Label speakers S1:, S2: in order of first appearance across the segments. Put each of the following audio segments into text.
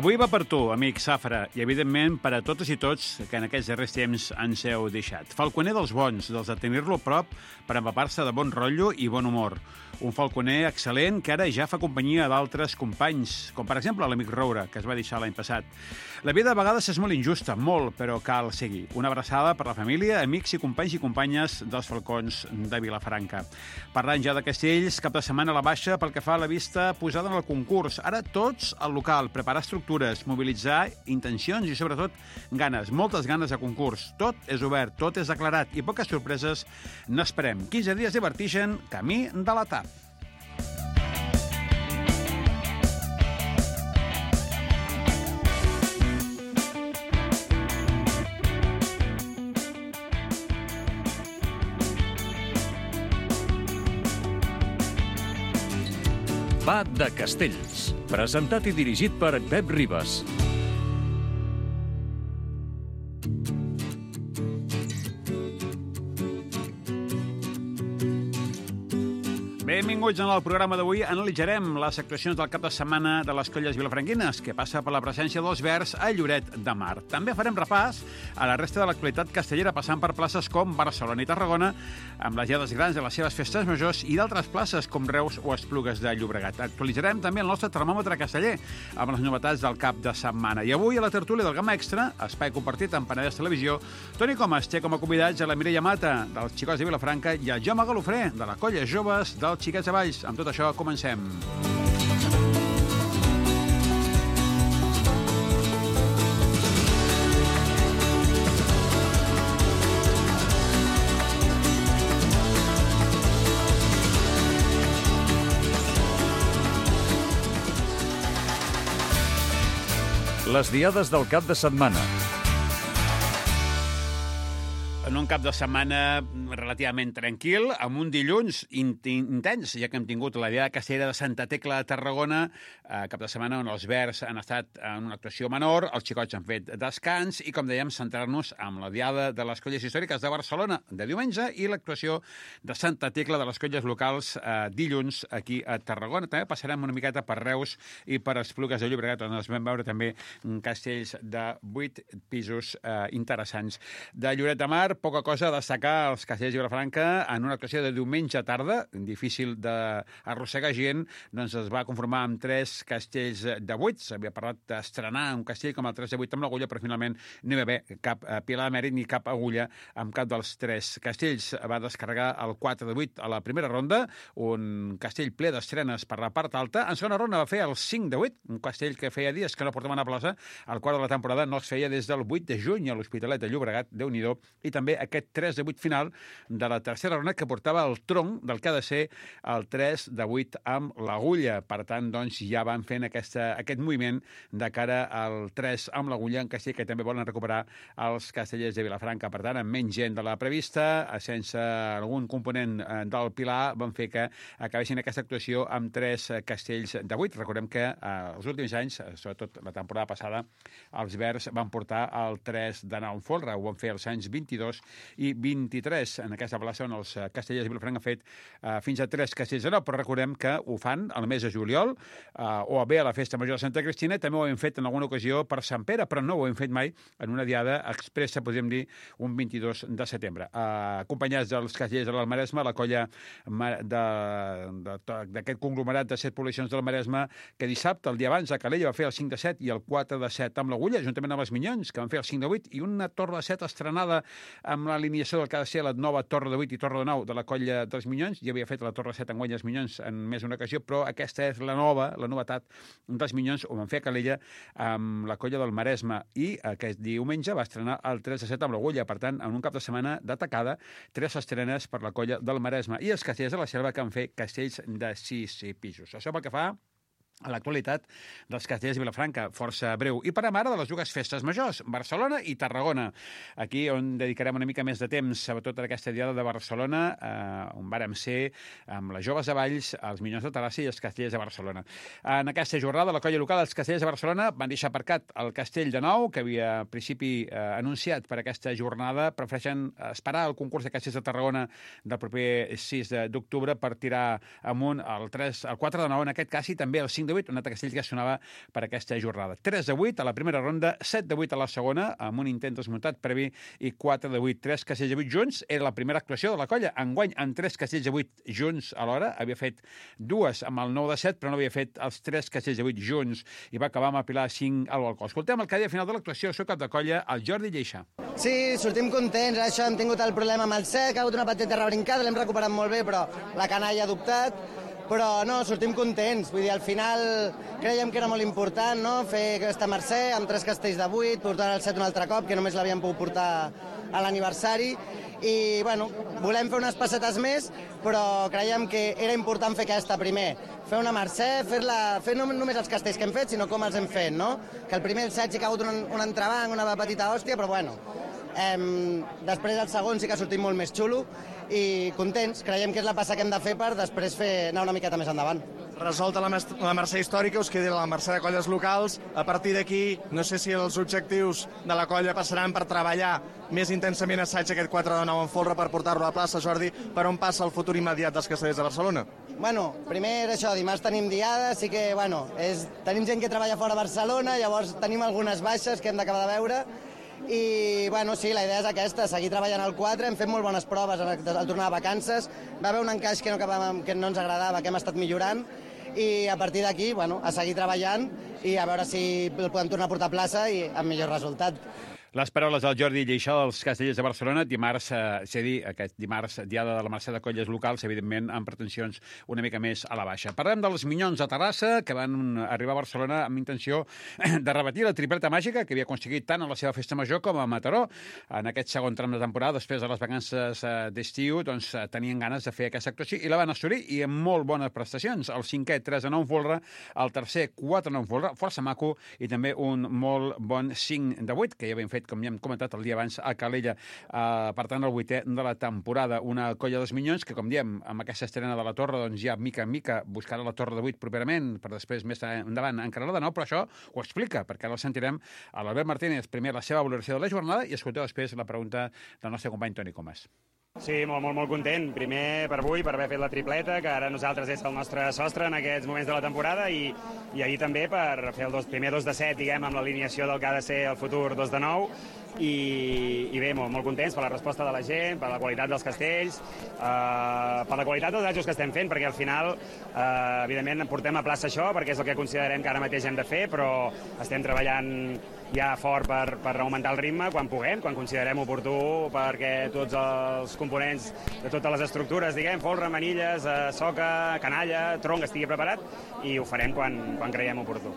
S1: Avui va per tu, amic Safra, i evidentment per a totes i tots que en aquests darrers temps ens heu deixat. Falconer dels bons, dels de tenir-lo a prop per empapar-se de bon rotllo i bon humor. Un falconer excel·lent que ara ja fa companyia d'altres companys, com per exemple l'amic Roure, que es va deixar l'any passat. La vida a vegades és molt injusta, molt, però cal seguir. Una abraçada per la família, amics i companys i companyes dels falcons de Vilafranca. Parlant ja de castells, cap de setmana a la baixa pel que fa a la vista posada en el concurs. Ara tots al local, preparar estructures, mobilitzar intencions i sobretot ganes, moltes ganes de concurs. Tot és obert, tot és declarat i poques sorpreses n'esperem. 15 dies de vertigen, camí de la TAP.
S2: Va de Castells, presentat i dirigit per Pep Ribas.
S1: Benvinguts en el programa d'avui. Analitzarem les actuacions del cap de setmana de les colles vilafranquines, que passa per la presència dels Verds a Lloret de Mar. També farem repàs a la resta de l'actualitat castellera, passant per places com Barcelona i Tarragona, amb les diades grans de les seves festes majors, i d'altres places com Reus o Esplugues de Llobregat. Actualitzarem també el nostre termòmetre casteller, amb les novetats del cap de setmana. I avui, a la tertúlia del Gamma Extra, espai compartit amb Penedès Televisió, Toni Comas té com a convidats a la Mireia Mata, dels Xicots de Vilafranca, i el Jaume Galofré, de la colla Joves dels Xiquets de Valls. Amb tot això, comencem.
S2: Les diades del cap de setmana.
S1: En un cap de setmana relativament tranquil, amb un dilluns intens, ja que hem tingut la diada castellera de Santa Tecla de Tarragona, cap de setmana on els Verds han estat en una actuació menor, els Xicots han fet descans i, com dèiem, centrar-nos amb la diada de les colles històriques de Barcelona de diumenge i l'actuació de Santa Tecla de les colles locals dilluns aquí a Tarragona. També passarem una miqueta per Reus i per Esplugues de Llobregat, on es vam veure també castells de 8 pisos interessants. De Lloret de Mar, poca cosa a destacar als castells de Vilafranca en una actuació de diumenge tarda, difícil d'arrossegar gent, doncs es va conformar amb 3 castells de 8. S'havia parlat d'estrenar un castell com el 3 de 8 amb l'agulla, però finalment no hi va haver cap pilar de mèrit ni cap agulla amb cap dels 3 castells. Va descarregar el 4 de 8 a la primera ronda, un castell ple d'estrenes per la part alta. En segona ronda va fer el 5 de 8, un castell que feia dies que no portaven a plaça. El quart de la temporada no es feia des del 8 de juny a l'Hospitalet de Llobregat, Déu-n'hi-do, i també aquest 3 de 8 final de la tercera ronda que portava el tronc del que ha de ser el 3 de 8 amb l'agulla. Per tant, doncs, ja van fent aquest moviment de cara al 3 amb l'agulla, en castell que també volen recuperar els castellers de Vilafranca. Per tant, amb menys gent de la prevista, sense algun component del pilar, van fer que acabessin aquesta actuació amb 3 castells de 8. Recordem que els últims anys, sobretot la temporada passada, els Verds van portar el 3 d'anar en folre. Ho van fer els anys 22 i 23 en aquesta plaça on els castellers de Vilafranca han fet fins a 3 castells de 9, però recordem que ho fan al mes de juliol o bé a la Festa Major de Santa Cristina. També ho hem fet en alguna ocasió per Sant Pere, però no ho hem fet mai en una diada expressa, podríem dir, un 22 de setembre. Acompanyats dels castellers de l'Almaresme, la colla d'aquest conglomerat de 7 poblacions del Maresme, que dissabte, el dia abans, a Calella va fer el 5 de 7 i el 4 de 7 amb l'agulla, juntament amb els Minyons, que van fer el 5 de 8, i una torre de 7 estrenada amb l'alineació del que ha de ser la nova torre de 8 i torre de 9 de la colla dels Minyons. Ja havia fet la torre 7 enguany els Minyons en més d'una ocasió, però aquesta és la novetat dels Minyons. Ho van fer a Calella amb la colla del Maresme i aquest diumenge va estrenar el 3 de 7 amb l'agulla. Per tant, en un cap de setmana d'atacada, 3 estrenes per la colla del Maresme i els castellers de la Selva, que han fet castells de 6 pisos. Això pel que fa a l'actualitat dels castellers de Vilafranca, força breu. I parlem ara de les dues festes majors, Barcelona i Tarragona. Aquí on dedicarem una mica més de temps, sobretot a aquesta diada de Barcelona, on vàrem ser amb les Joves de Valls, els Minyons de Terrassa i els castellers de Barcelona. En aquesta jornada, la colla local dels castellers de Barcelona van deixar aparcat el castell de Nou, que havia al principi anunciat per aquesta jornada. Prefereixen esperar el concurs de castellers de Tarragona del proper 6 d'octubre per tirar amunt el 4 de 9, en aquest cas, i també el 5 de 8, un altre castell que sonava per aquesta jornada. 3 de 8 a la primera ronda, 7 de 8 a la segona, amb un intent desmuntat previ, i 4 de 8, 3 castells de 8 junts. Era la primera actuació de la colla. Enguany, amb 3 castells de 8 junts alhora, havia fet 2 amb el 9 de 7, però no havia fet els 3 castells de 8 junts, i va acabar amb el Pilar 5 al balcó. Escoltem el que deia al final de l'actuació, el seu cap de colla, el Jordi Lleixà.
S3: Sí, sortim contents. Això hem tingut el problema amb el set, que ha hagut una petita rebrincada, l'hem recuperat molt bé, però la canalla ha dubtat. Però no, sortim contents. Vull dir, al final creiem que era molt important, no?, fer aquesta Mercè amb 3 castells de 8, portar el set un altre cop, que només l'havíem pogut portar a l'aniversari. I, bueno, volem fer unes passetes més, però creiem que era important fer aquesta primer. Fer una Mercè, fer no només els castells que hem fet, sinó com els hem fet, no? Que el primer, el set, sí que ha hagut un entrebanc, una petita hòstia, però bueno, després el segon sí que ha sortit molt més xulo i contents. Creiem que és la passa que hem de fer per després anar una miqueta més endavant.
S4: Resolta la Mercè històrica, us queda la Mercè de colles locals. A partir d'aquí, no sé si els objectius de la colla passaran per treballar més intensament assaig aquest 4 de 9 en folre per portar-lo a la plaça. Jordi, per on passa el futur immediat dels castellers de Barcelona?
S3: Bueno, primer això, dimarts tenim diada, sí que, bueno, tenim gent que treballa fora de Barcelona, llavors tenim algunes baixes que hem d'acabar de veure, i, bueno, sí, la idea és aquesta, seguir treballant al 4, hem fet molt bones proves al tornar de vacances, va haver un encaix que no ens agradava, que hem estat millorant, i a partir d'aquí, bueno, a seguir treballant i a veure si el podem tornar a portar a plaça i amb millor resultat.
S1: Les paraules del Jordi Lleixà dels Castellers de Barcelona, dimarts, és a dir, aquest dimarts, diada de la Mercè de colles locals, evidentment amb pretensions una mica més a la baixa. Parlem dels Minyons de Terrassa, que van arribar a Barcelona amb intenció de repetir la tripleta màgica que havia aconseguit tant a la seva festa major com a Mataró. En aquest segon tram de temporada, després de les vacances d'estiu, doncs tenien ganes de fer aquesta actuació i la van assolir, i amb molt bones prestacions. El cinquè, 3 de 9 en folre, el tercer, 4 de 9 en folre, força maco, i també un molt bon 5 de 8, que ja havien fet, com ja hem comentat el dia abans, a Calella. Per tant, el 8è de la temporada. Una colla dels Minyons que, com diem, amb aquesta estrena de la Torre, doncs ja mica en mica buscarà la Torre de 8 properament, per després més endavant encarar-la de nou, però això ho explica, perquè ara el sentirem a l'Albert Martínez, primer la seva valoració de la jornada, i escolteu després la pregunta del nostre company Toni Comas.
S5: Sí, molt content. Primer per avui, per haver fet la tripleta, que ara nosaltres és el nostre sostre en aquests moments de la temporada, i ahir també per fer el primer 2 de 7, diguem, amb l'alineació del que ha de ser el futur 2 de 9, i bé, molt contents per la resposta de la gent, per la qualitat dels castells, per la qualitat dels assajos que estem fent, perquè al final, evidentment, portem a plaça això, perquè és el que considerem que ara mateix hem de fer, però estem treballant ja fort per augmentar el ritme quan puguem, quan considerem oportú, perquè tots els components de totes les estructures, diguem, folre, manilles, soca, canalla, tronc, estigui preparat, i ho farem quan creiem oportú.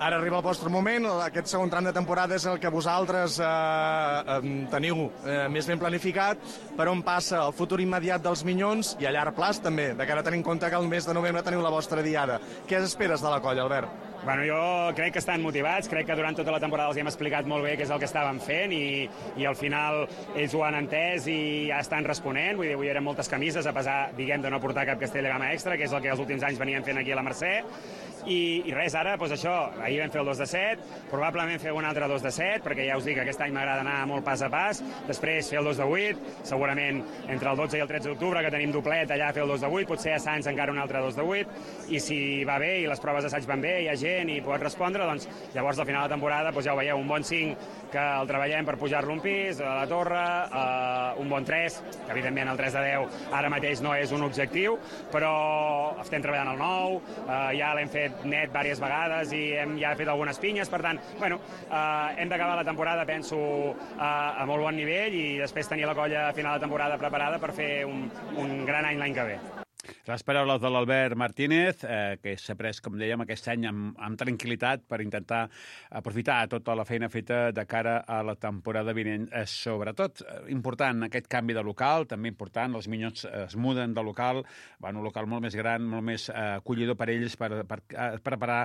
S4: Ara arriba el vostre moment, aquest segon tram de temporada és el que vosaltres teniu més ben planificat, per on passa el futur immediat dels Minyons i a llarg plaç també, de cara a tenir en compte que el mes de novembre teniu la vostra diada. Què esperes de la colla, Albert?
S5: Bueno, jo crec que estan motivats, crec que durant tota la temporada els hem explicat molt bé què és el que estàvem fent, i al final ells ho han entès i ja estan responent. Vull dir, avui eren moltes camises, a pesar, diguem, de no portar cap castell de gamma extra, que és el que els últims anys venien fent aquí a la Mercè. I res, ara, doncs això, ahir vam fer el 2 de 7, probablement fer un altre 2 de 7, perquè ja us dic que aquest any m'agrada anar molt pas a pas, després fer el 2 de 8, segurament entre el 12 i el 13 d'octubre, que tenim doblet, allà fer el 2 de 8, potser a Sants encara un altre 2 de 8, i si va bé i les proves d'assaig van bé, hi ha gent i pot respondre, doncs llavors al final de la temporada ja ho veieu, un bon 5 que el treballem per pujar-lo un pis, a la torre, un bon 3, que evidentment el 3 de 10 ara mateix no és un objectiu, però estem treballant el 9, ja l'hem fet net diverses vegades i hem ja fet algunes pinyes, per tant, bueno, hem d'acabar la temporada, penso, a molt bon nivell, i després tenir la colla a final de temporada preparada per fer un gran any l'any que ve.
S1: Les paraules de l'Albert Martínez, que s'ha pres, com dèiem, aquest any amb tranquil·litat per intentar aprofitar tota la feina feta de cara a la temporada vinent. Sobretot, important aquest canvi de local, també important, els Minyons es muden de local, van a un local molt més gran, molt més acollidor per ells, per preparar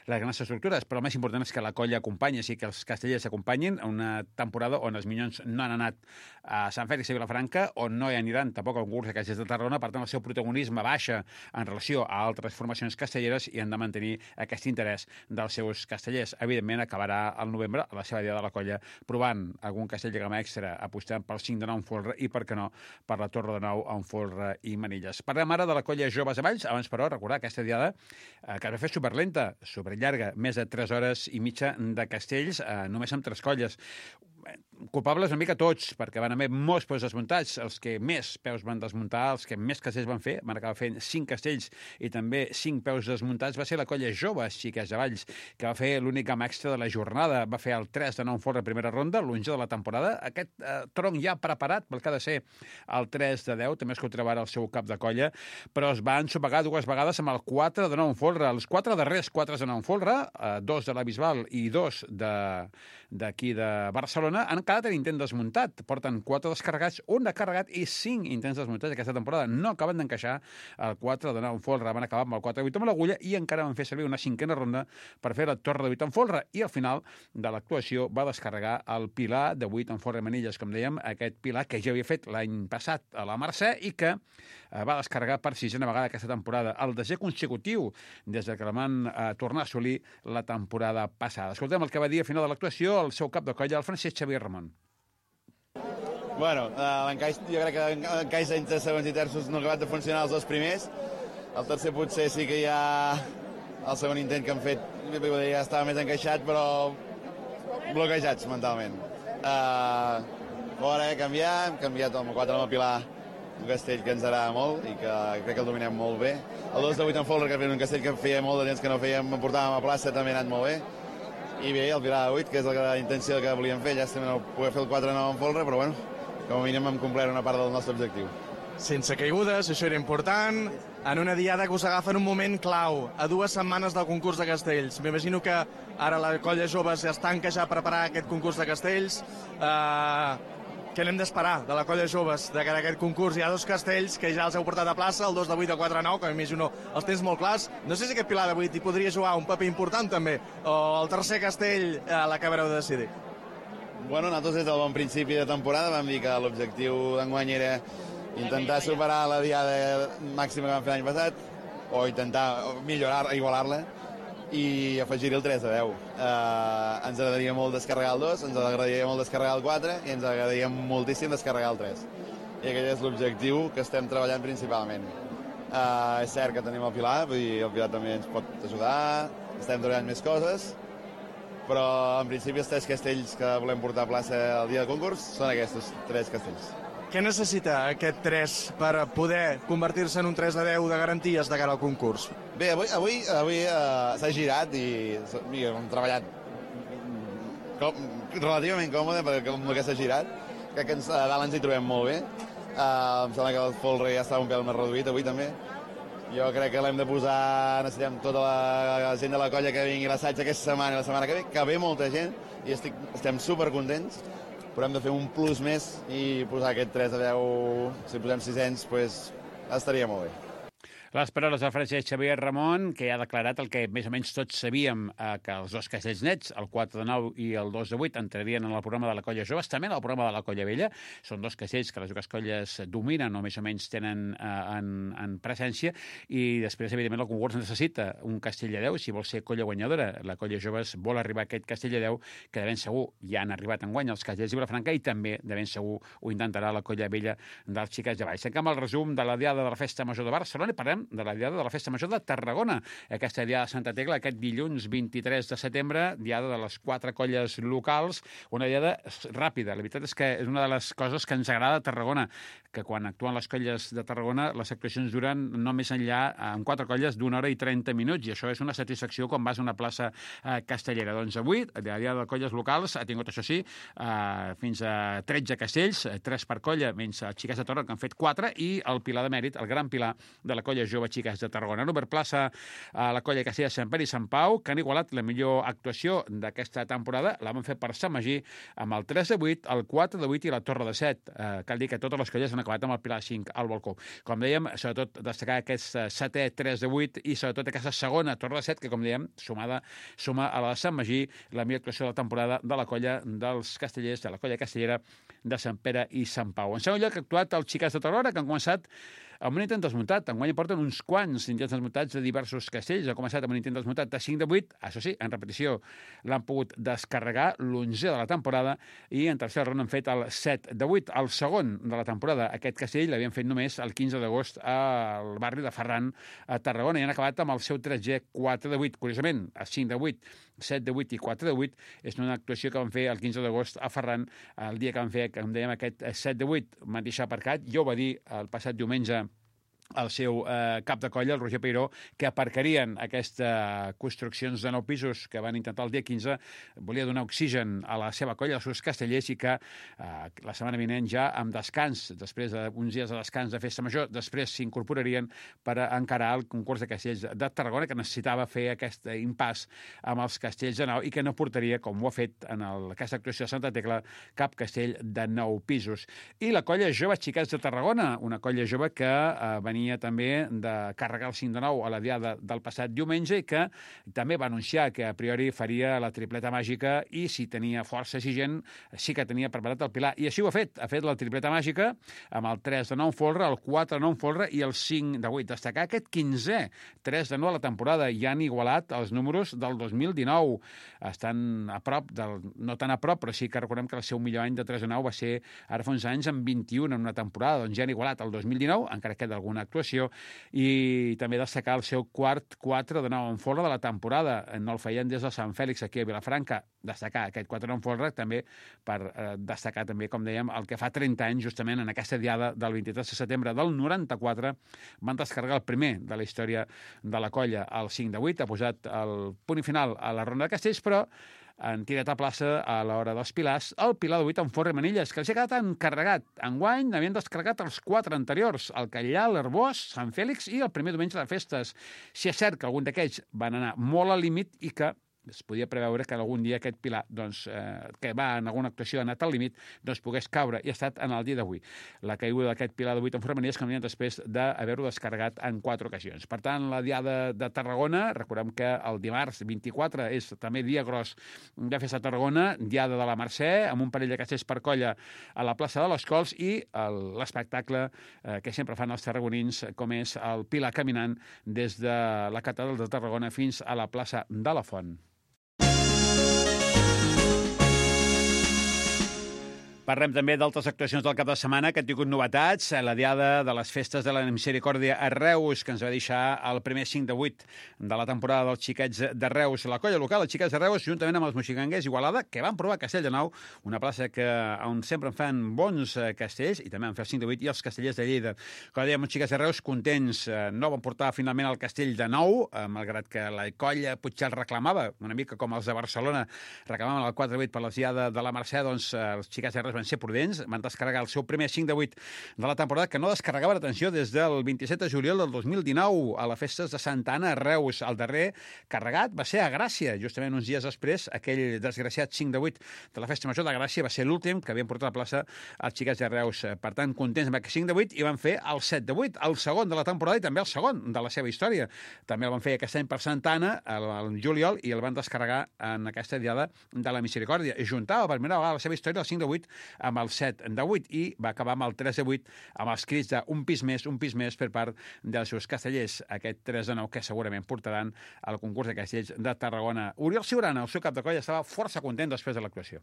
S1: les grans estructures, però el més important és que la colla acompanyi, així que els castellers acompanyin a una temporada on els Minyons no han anat a Sant Fèlix i Vilafranca, on no hi aniran tampoc al concurs de castellers de Tarragona, per tant el seu protagonisme baixa en relació a altres formacions castelleres i han de mantenir aquest interès dels seus castellers. Evidentment, acabarà al novembre a la seva diada de la colla provant algun castell de gama extra, apostant pel 5 de 9 en folre i, per què no, per la torre de 9 en folre i manilles. Parlem ara de la colla Joves de Valls. Abans, però, recordar aquesta diada que es va fer superlenta, superllarga, més de 3 hores i mitja de castells, només amb 3 colles. Culpables una mica tots, perquè van haver molts peus desmuntats. Els que més peus van desmuntar, els que més castells van fer, van acabar fent 5 castells i també 5 peus desmuntats, va ser la colla Joves Xiques de Valls, que va fer l'únic gam extra de la jornada. Va fer el 3 de 9 en folre primera ronda, l'11 de la temporada. Aquest tronc ja preparat pel que ha de ser el 3 de 10, també es contreva el seu cap de colla, però es va ensopegar 2 vegades amb el 4 de 9 en folre. Els 4 darrers 4 de 9 en folre, 2 de la Bisbal i 2 d'aquí de Barcelona, han quedat en intent desmuntat. Porten 4 descarregats, 1 de carregat i 5 intents desmuntats aquesta temporada. No acaben d'encaixar el 4 de 9 en folre. Van acabar amb el 4 de 8 amb l'agulla i encara van fer servir una 5a ronda per fer la torre de 8 en folre. I al final de l'actuació va descarregar el pilar de 8 en folre i manilles, com dèiem, aquest pilar que ja havia fet l'any passat a la Mercè i que va descarregar per 6a vegada aquesta temporada. El desè consecutiu des que la van tornar a assolir la temporada passada. Escoltem el que va dir a final de l'actuació el seu cap de colla, el Francesc Xavier Ramon.
S6: Bueno, l'encaix, jo crec que l'encaix entre segons i terços no ha acabat de funcionar els 2 primers. El tercer potser sí que ja el segon intent que han fet ja estava més encaixat, però bloquejats mentalment. Fora, hem canviat el 4 amb el Pilar, un castell que ens agrada molt i que crec que el dominem molt bé. El 2 de 8 en folre, que era un castell que feia molt de temps que no fèiem, portàvem a plaça, també ha anat molt bé. I bé, el Pilar de 8, que és la intenció que volíem fer, ja estem no poder fer el 4 de 9 en folre, però bueno, com a mínim hem complert una part del nostre objectiu.
S4: Sense caigudes, això era important, en una diada que us agafa en un moment clau, a 2 setmanes del concurs de castells. M'imagino que ara la colla Joves ja es tanca ja a preparar aquest concurs de castells. Què n'hem d'esperar de la colla Joves de cara a aquest concurs? Hi ha 2 castells que ja els heu portat a plaça, el 2 de 8 i el 4 de 9, que m'imagino els tens molt clars. No sé si aquest Pilar de 8 hi podria jugar un paper important també, o el tercer castell l'acabareu de decidir.
S6: Bueno, nosaltres des del bon principi de temporada vam dir que l'objectiu d'enguany era intentar superar la diada màxima que vam fer l'any passat, o intentar millorar, igualar-la, i afegir-hi el 3 de 10. Ens agradaria molt descarregar el 2, ens agradaria molt descarregar el 4 i ens agradaria moltíssim descarregar el 3. I aquest és l'objectiu que estem treballant principalment. És cert que tenim el Pilar, vull dir, el Pilar també ens pot ajudar, estem treballant més coses, però en principi els 3 castells que volem portar a plaça el dia del concurs són aquests 3 castells.
S4: Què necessita aquest 3 per poder convertir-se en un 3 de 10 de garanties de cara al concurs?
S6: Bé, avui s'ha girat i hem treballat relativament còmode perquè amb el que s'ha girat. Crec que a dalt ens hi trobem molt bé. Em sembla que el folre ja estava un pèl més reduït avui també. Jo crec que l'hem de posar, necessitem tota la gent de la colla que vingui a l'assaig aquesta setmana i la setmana que ve molta gent i estem supercontents, però hem de fer un plus més i posar aquest 3 de 10, si posem 600, doncs estaria molt bé.
S1: Les paraules del Francesc Xavier Ramon, que ha declarat el que més o menys tots sabíem, que els 2 castells nets, el 4 de 9 i el 2 de 8, entrarien en el programa de la colla Joves, també en el programa de la colla vella. Són 2 castells que les 2 colles dominen o més o menys tenen en presència, i després, evidentment, el concurs necessita un castell de 10 si vol ser colla guanyadora. La colla Joves vol arribar a aquest castell de 10, que de ben segur ja han arribat enguany els castells de Vilafranca, i també de ben segur ho intentarà la colla vella dels Xiques de Valls. Tanquem el resum de la diada de la Festa Major de Barcelona i parlem de la diada de la Festa Major de Tarragona. Aquesta diada de Santa Tecla, aquest dilluns 23 de setembre, diada de les 4 colles locals, una diada ràpida. La veritat és que és una de les coses que ens agrada a Tarragona, que quan actuen les colles de Tarragona les actuacions duren no més enllà, en 4 colles, d'1 hora i 30 minuts, i això és una satisfacció quan vas a una plaça castellera. Doncs avui, la diada de colles locals ha tingut, això sí, fins a 13 castells, 3 per colla, menys els Xiques de Torre, que han fet 4, i el Pilar de Mèrit, el gran pilar de la colla jove Xiques de Tarragona. Han obert plaça a la colla Castella de Sant Pere i Sant Pau, que han igualat la millor actuació d'aquesta temporada. La van fer per Sant Magí amb el 3 de 8, el 4 de 8 i la torre de 7. Cal dir que totes les colles han acabat amb el Pilar 5 al balcó. Com dèiem, sobretot destacar aquest 7è 3 de 8 i sobretot aquesta segona torre de 7, que com dèiem, suma a la de Sant Magí, la millor actuació de la temporada de la colla dels castellers, de la colla castellera de Sant Pere i Sant Pau. En segon lloc, ha actuat els Xiques de Tarragona, que han començat amb un intent desmuntat. Enguany porten uns quants intents desmuntats de diversos castells. Ha començat amb un intent desmuntat de 5 de 8, això sí, en repetició l'han pogut descarregar, l'11 de la temporada, i en tercera ronda han fet el 7 de 8, el segon de la temporada. Aquest castell l'havien fet només el 15 d'agost al barri de Ferran, a Tarragona, i han acabat amb el seu 3è 4 de 8. Curiosament, a 5 de 8, 7 de 8 i 4 de 8 és una actuació que van fer el 15 d'agost a Ferran, el dia que van fer, com dèiem, aquest 7 de 8. M'han deixat aparcat, jo ho va dir el passat diumenge el seu cap de colla, el Roger Peiró, que aparcarien aquestes construccions de 9 pisos que van intentar el dia 15, volia donar oxigen a la seva colla, als seus castellers, i que la setmana vinent ja amb descans, després d'uns dies de descans de festa major, després s'incorporarien per encarar el concurs de castells de Tarragona, que necessitava fer aquest impàs amb els castells de 9 i que no portaria, com ho ha fet en aquesta actuació de Santa Tecla, cap castell de 9 pisos. I la colla jove Xiquets de Tarragona, una colla jove que venia també de carregar el 5 de 9 a la diada del passat diumenge i que també va anunciar que a priori faria la tripleta màgica i si tenia força exigent sí que tenia preparat el Pilar. I així ho ha fet la tripleta màgica amb el 3 de 9 folre, el 4 de 9 folre i el 5 de 8. Destacar aquest 15è 3 de 9 a la temporada i han igualat els números del 2019. Estan a prop, no tan a prop, però sí que recordem que el seu millor any de 3 de 9 va ser ara fa uns anys amb 21 en una temporada, doncs ja han igualat el 2019, encara queda alguna actuació, i també destacar el seu quart 4 de 9 en folre de la temporada. No el feien des de Sant Fèlix aquí a Vilafranca. Destacar aquest 4 de 9 en folre també per destacar també, com dèiem, el que fa 30 anys, justament en aquesta diada del 23 de setembre del 94, van descarregar el primer de la història de la colla, el 5 de 8, ha posat el punt final a la ronda de castells, però han tirat a plaça a l'hora dels pilars el Pilar de 8 amb forra i manilles, que els ha quedat encarregat. Enguany n'havien descarregat els 4 anteriors, el Catllà, l'Arbós, Sant Fèlix i el primer diumenge de festes. Si és cert que algun d'aquells van anar molt al límit i que es podia preveure que algun dia aquest Pilar, doncs, que va en alguna actuació ha anat al límit, doncs pogués caure, i ha estat en el dia d'avui. La caiguda d'aquest Pilar de 8 en formanilles que venien després d'haver-ho descarregat en 4 ocasions. Per tant, la diada de Tarragona, recordem que el dimarts 24 és també dia gros de festa a Tarragona, diada de la Mercè, amb un parell de castells per colla a la plaça de les Cols i l'espectacle que sempre fan els tarragonins, com és el Pilar caminant des de la catedral de Tarragona fins a la plaça de la Font. Parlem també d'altres actuacions del cap de setmana que han tingut novetats. La diada de les festes de la Misericòrdia a Reus, que ens va deixar el primer 5 de 8 de la temporada dels Xiquets de Reus. La colla local, els Xiquets de Reus, juntament amb els moxiganguers Igualada, que van provar Castell de Nou, una plaça on sempre en fan bons castells, i també van fer el 5 de 8, i els castellers de Lleida. Com dèiem, els Xiquets de Reus, contents, no van portar finalment el castell de Nou, malgrat que la colla potser el reclamava, una mica com els de Barcelona reclamaven el 4 de 8 per la diada de la Mercè, doncs els Xiquets de Reus van ser prudents, van descarregar el seu primer 5 de 8 de la temporada, que no descarregava, atenció, des del 27 de juliol del 2019 a les festes de Santa Anna a Reus. El darrer carregat va ser a Gràcia, justament uns dies després, aquell desgraciat 5 de 8 de la festa major de Gràcia va ser l'últim que havien portat a la plaça els Xiquets de Reus. Per tant, contents amb aquest 5 de 8 i van fer el 7 de 8, el segon de la temporada i també el segon de la seva història. També el van fer aquest any per Santa Anna, el juliol, i el van descarregar en aquesta diada de la Misericòrdia. I juntava per primera vegada la seva història el 5 de 8 amb el 7 de 8 i va acabar amb el 3 de 8 amb els crits d'un pis més per part dels seus castellers. Aquest 3 de 9 que segurament portaran al concurs de castells de Tarragona. Oriol Ciurana, el seu cap de colla, estava força content després de l'actuació.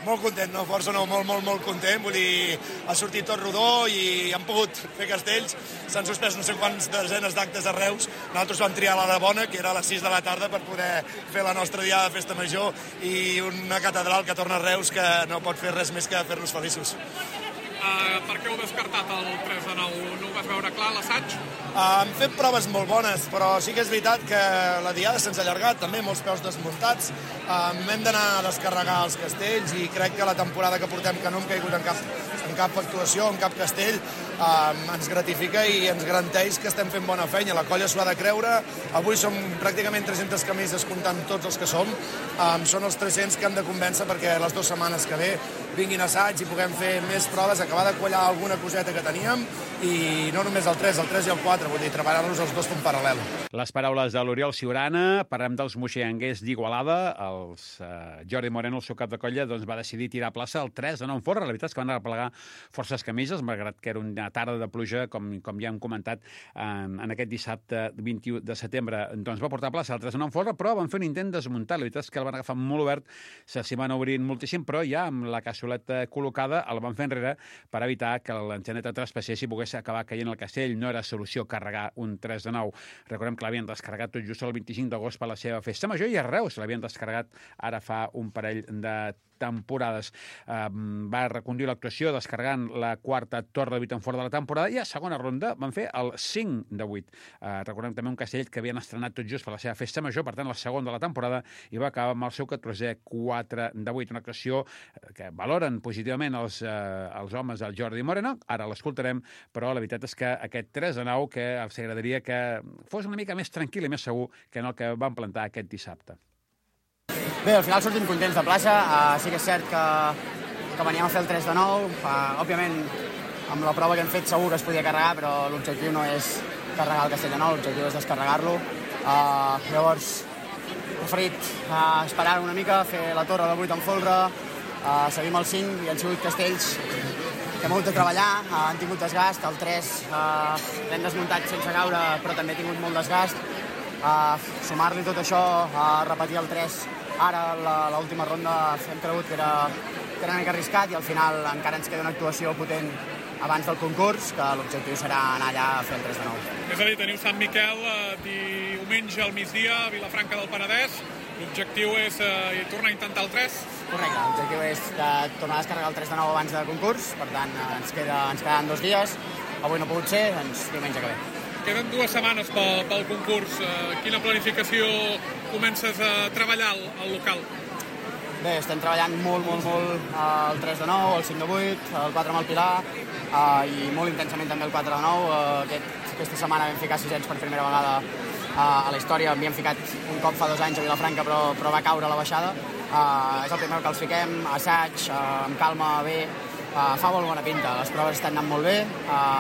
S7: Molt content, no? Força no, molt content. Vull dir, ha sortit tot rodó i han pogut fer castells. S'han suspès no sé quants desenes d'actes a Reus. Nosaltres vam triar l'hora bona, que era a les 6 de la tarda, per poder fer la nostra diada de festa major i una catedral que torna a Reus que no pot fer res més que fer-nos feliços.
S8: Per què heu descartat el 3 de 9? No ho vas veure clar, l'assaig?
S7: Hem fet proves molt bones, però sí que és veritat que la diada se'ns ha allargat, també molts peus desmuntats. Hem d'anar a descarregar els castells i crec que la temporada que portem, que no hem caigut en cap actuació, en cap castell, ens gratifica i ens garanteix que estem fent bona feina. La colla s'ho ha de creure. Avui som pràcticament 300 camises comptant tots els que som. Són els 300 que hem de convèncer perquè les 2 setmanes que ve vinguin assaig i puguem fer més proves, acabar de quallar alguna coseta que teníem i no només el 3 i el 4 4, vull dir, treballar-los els dos en paral·lel.
S1: Les paraules de l'Oriol Siurana. Parlem dels moixeganguers d'Igualada. Jordi Moreno, el seu cap de colla, doncs, va decidir tirar a plaça el 3-9 en Folre. La veritat és que van arreplegar forces camises, malgrat que era una tarda de pluja, com ja hem comentat, en aquest dissabte 21 de setembre. Doncs va portar a plaça el 3-9 en Folre, però van fer un intent desmuntat. La veritat és que el van agafar molt obert, s'hi van obrint moltíssim, però ja amb la cassoleta col·locada el van fer enrere per evitar que l'enxaneta traspassés i pogués acabar caient al castell. No era solució carregar un 3-9. Recordem que l'havien descarregat tot just el 25 d'agost per la seva festa major i a Reus l'havien descarregat ara fa un parell de temporades. Va reconduir l'actuació descarregant la quarta torre de 8 en fora de la temporada i a segona ronda van fer el 5 de 8. Recordem també un castell que havien estrenat tot just per la seva festa major, per tant la segona de la temporada, i va acabar amb el seu 14è 4 de 8. Una actuació que valoren positivament els homes del Jordi Moreno. Ara l'escoltarem, però la veritat és que aquest 3-9 que els agradaria que fos una mica més tranquil i més segur que en el que van plantar aquest dissabte.
S9: Bé, al final sortim contents de plaça. Sí que és cert que veníem a fer el 3-9. Òbviament, amb la prova que hem fet segur que es podia carregar, però l'objectiu no és carregar el castell de nou, l'objectiu és descarregar-lo. Llavors, he preferit esperar una mica, fer la torre de 8 en folre, seguim el 5 i han sigut castells que hem hagut de treballar, han tingut desgast. El 3 l'hem desmuntat sense caure, però també ha tingut molt desgast. Sumar-li tot això, repetir el 3 ara l'última ronda hem cregut que era una mica arriscat i al final encara ens queda una actuació potent abans del concurs, que l'objectiu serà anar allà a fer el 3-9.
S8: És a dir, teniu Sant Miquel diumenge al migdia a Vilafranca del Penedès. L'objectiu és tornar a intentar el 3?
S9: Correcte, l'objectiu és tornar a descarregar el 3-9 abans del concurs, per tant ens quedan 2 dies. Avui no ha pogut ser, doncs diumenge que ve.
S8: Queden 2 setmanes pel concurs. Quina planificació comences a treballar al local?
S9: Bé, estem treballant molt el 3-9, el 5-8, el 4 amb el Pilar i molt intensament també el 4-9. Aquesta setmana vam ficar 600 per primera vegada a la història. Havíem ficat un cop fa 2 anys a Vilafranca, però va caure a la baixada. És el primer que els fiquem, assaig, amb calma, bé. Fa molt bona pinta, les proves estan anant molt bé.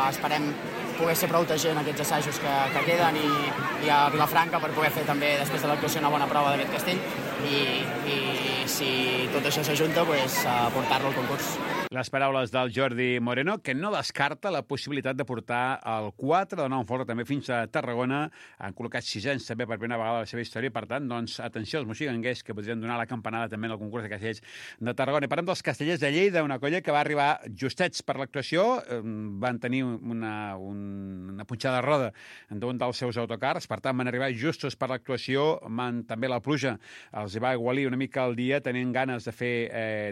S9: Esperem poder ser prou gent aquests assajos que queden i a Vilafranca per poder fer també després de l'actuació una bona prova d'aquest castell i si tot això s'ajunta, portar-lo al concurs.
S1: Les paraules del Jordi Moreno, que no descarta la possibilitat de portar el 4 de 9 en folre també fins a Tarragona. Han col·locat 600 també per primera vegada a la seva història. Per tant, doncs, atenció als moxiganguers que podrien donar la campanada també en el concurs de castellers de Tarragona. I parlem dels castellers de Lleida, una colla que va arribar justets per l'actuació. Van tenir una punxada de roda d'un dels seus autocars. Per tant, van arribar justos per l'actuació. També la pluja els va aigualir una mica el dia, tenint ganes de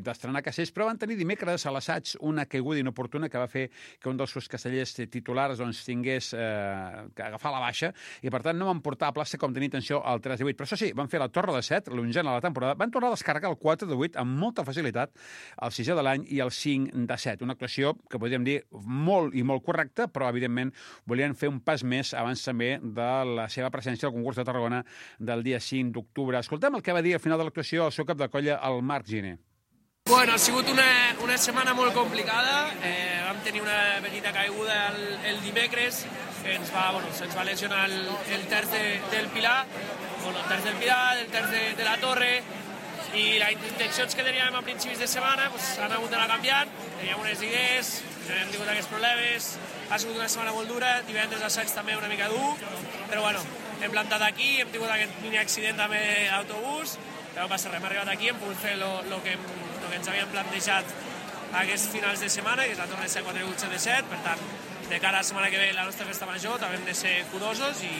S1: d'estrenar castells, però van tenir dimecres a l'assaig una caiguda inoportuna que va fer que un dels seus castellers titulars tingués que agafar la baixa i, per tant, no van portar a plaça com tenia intenció el 3 de 8. Però això sí, van fer la torre de 7, l'onzena de la temporada, van tornar a descarregar el 4 de 8 amb molta facilitat, el 6è de l'any i el 5 de 7. Una actuació que podríem dir molt i molt correcta, però, evidentment, volien fer un pas més abans també de la seva presència al concurs de Tarragona del dia 5 d'octubre. Escoltem el que va dir al final de l'actuació el seu cap de colla, el Marc Giner.
S10: Bueno, ha sigut una setmana molt complicada. Vam tenir una petita caiguda el dimecres que se'ns va lesionar el terç del Pilar, el terç del Pilar, el terç de la Torre, i les intencions que teníem a principis de setmana han hagut d'anar canviant. Teníem unes idees, hem tingut aquests problemes, ha sigut una setmana molt dura, divendres assaig també una mica dur, però bueno, hem plantat aquí, hem tingut aquest mini accident també d'autobús, però no passa res, hem arribat aquí, hem pogut fer el que ens havíem plantejat aquests finals de setmana, que és la torre de 4 8 7 de 7, per tant, de cara a la setmana que ve la nostra festa major també hem de ser curosos i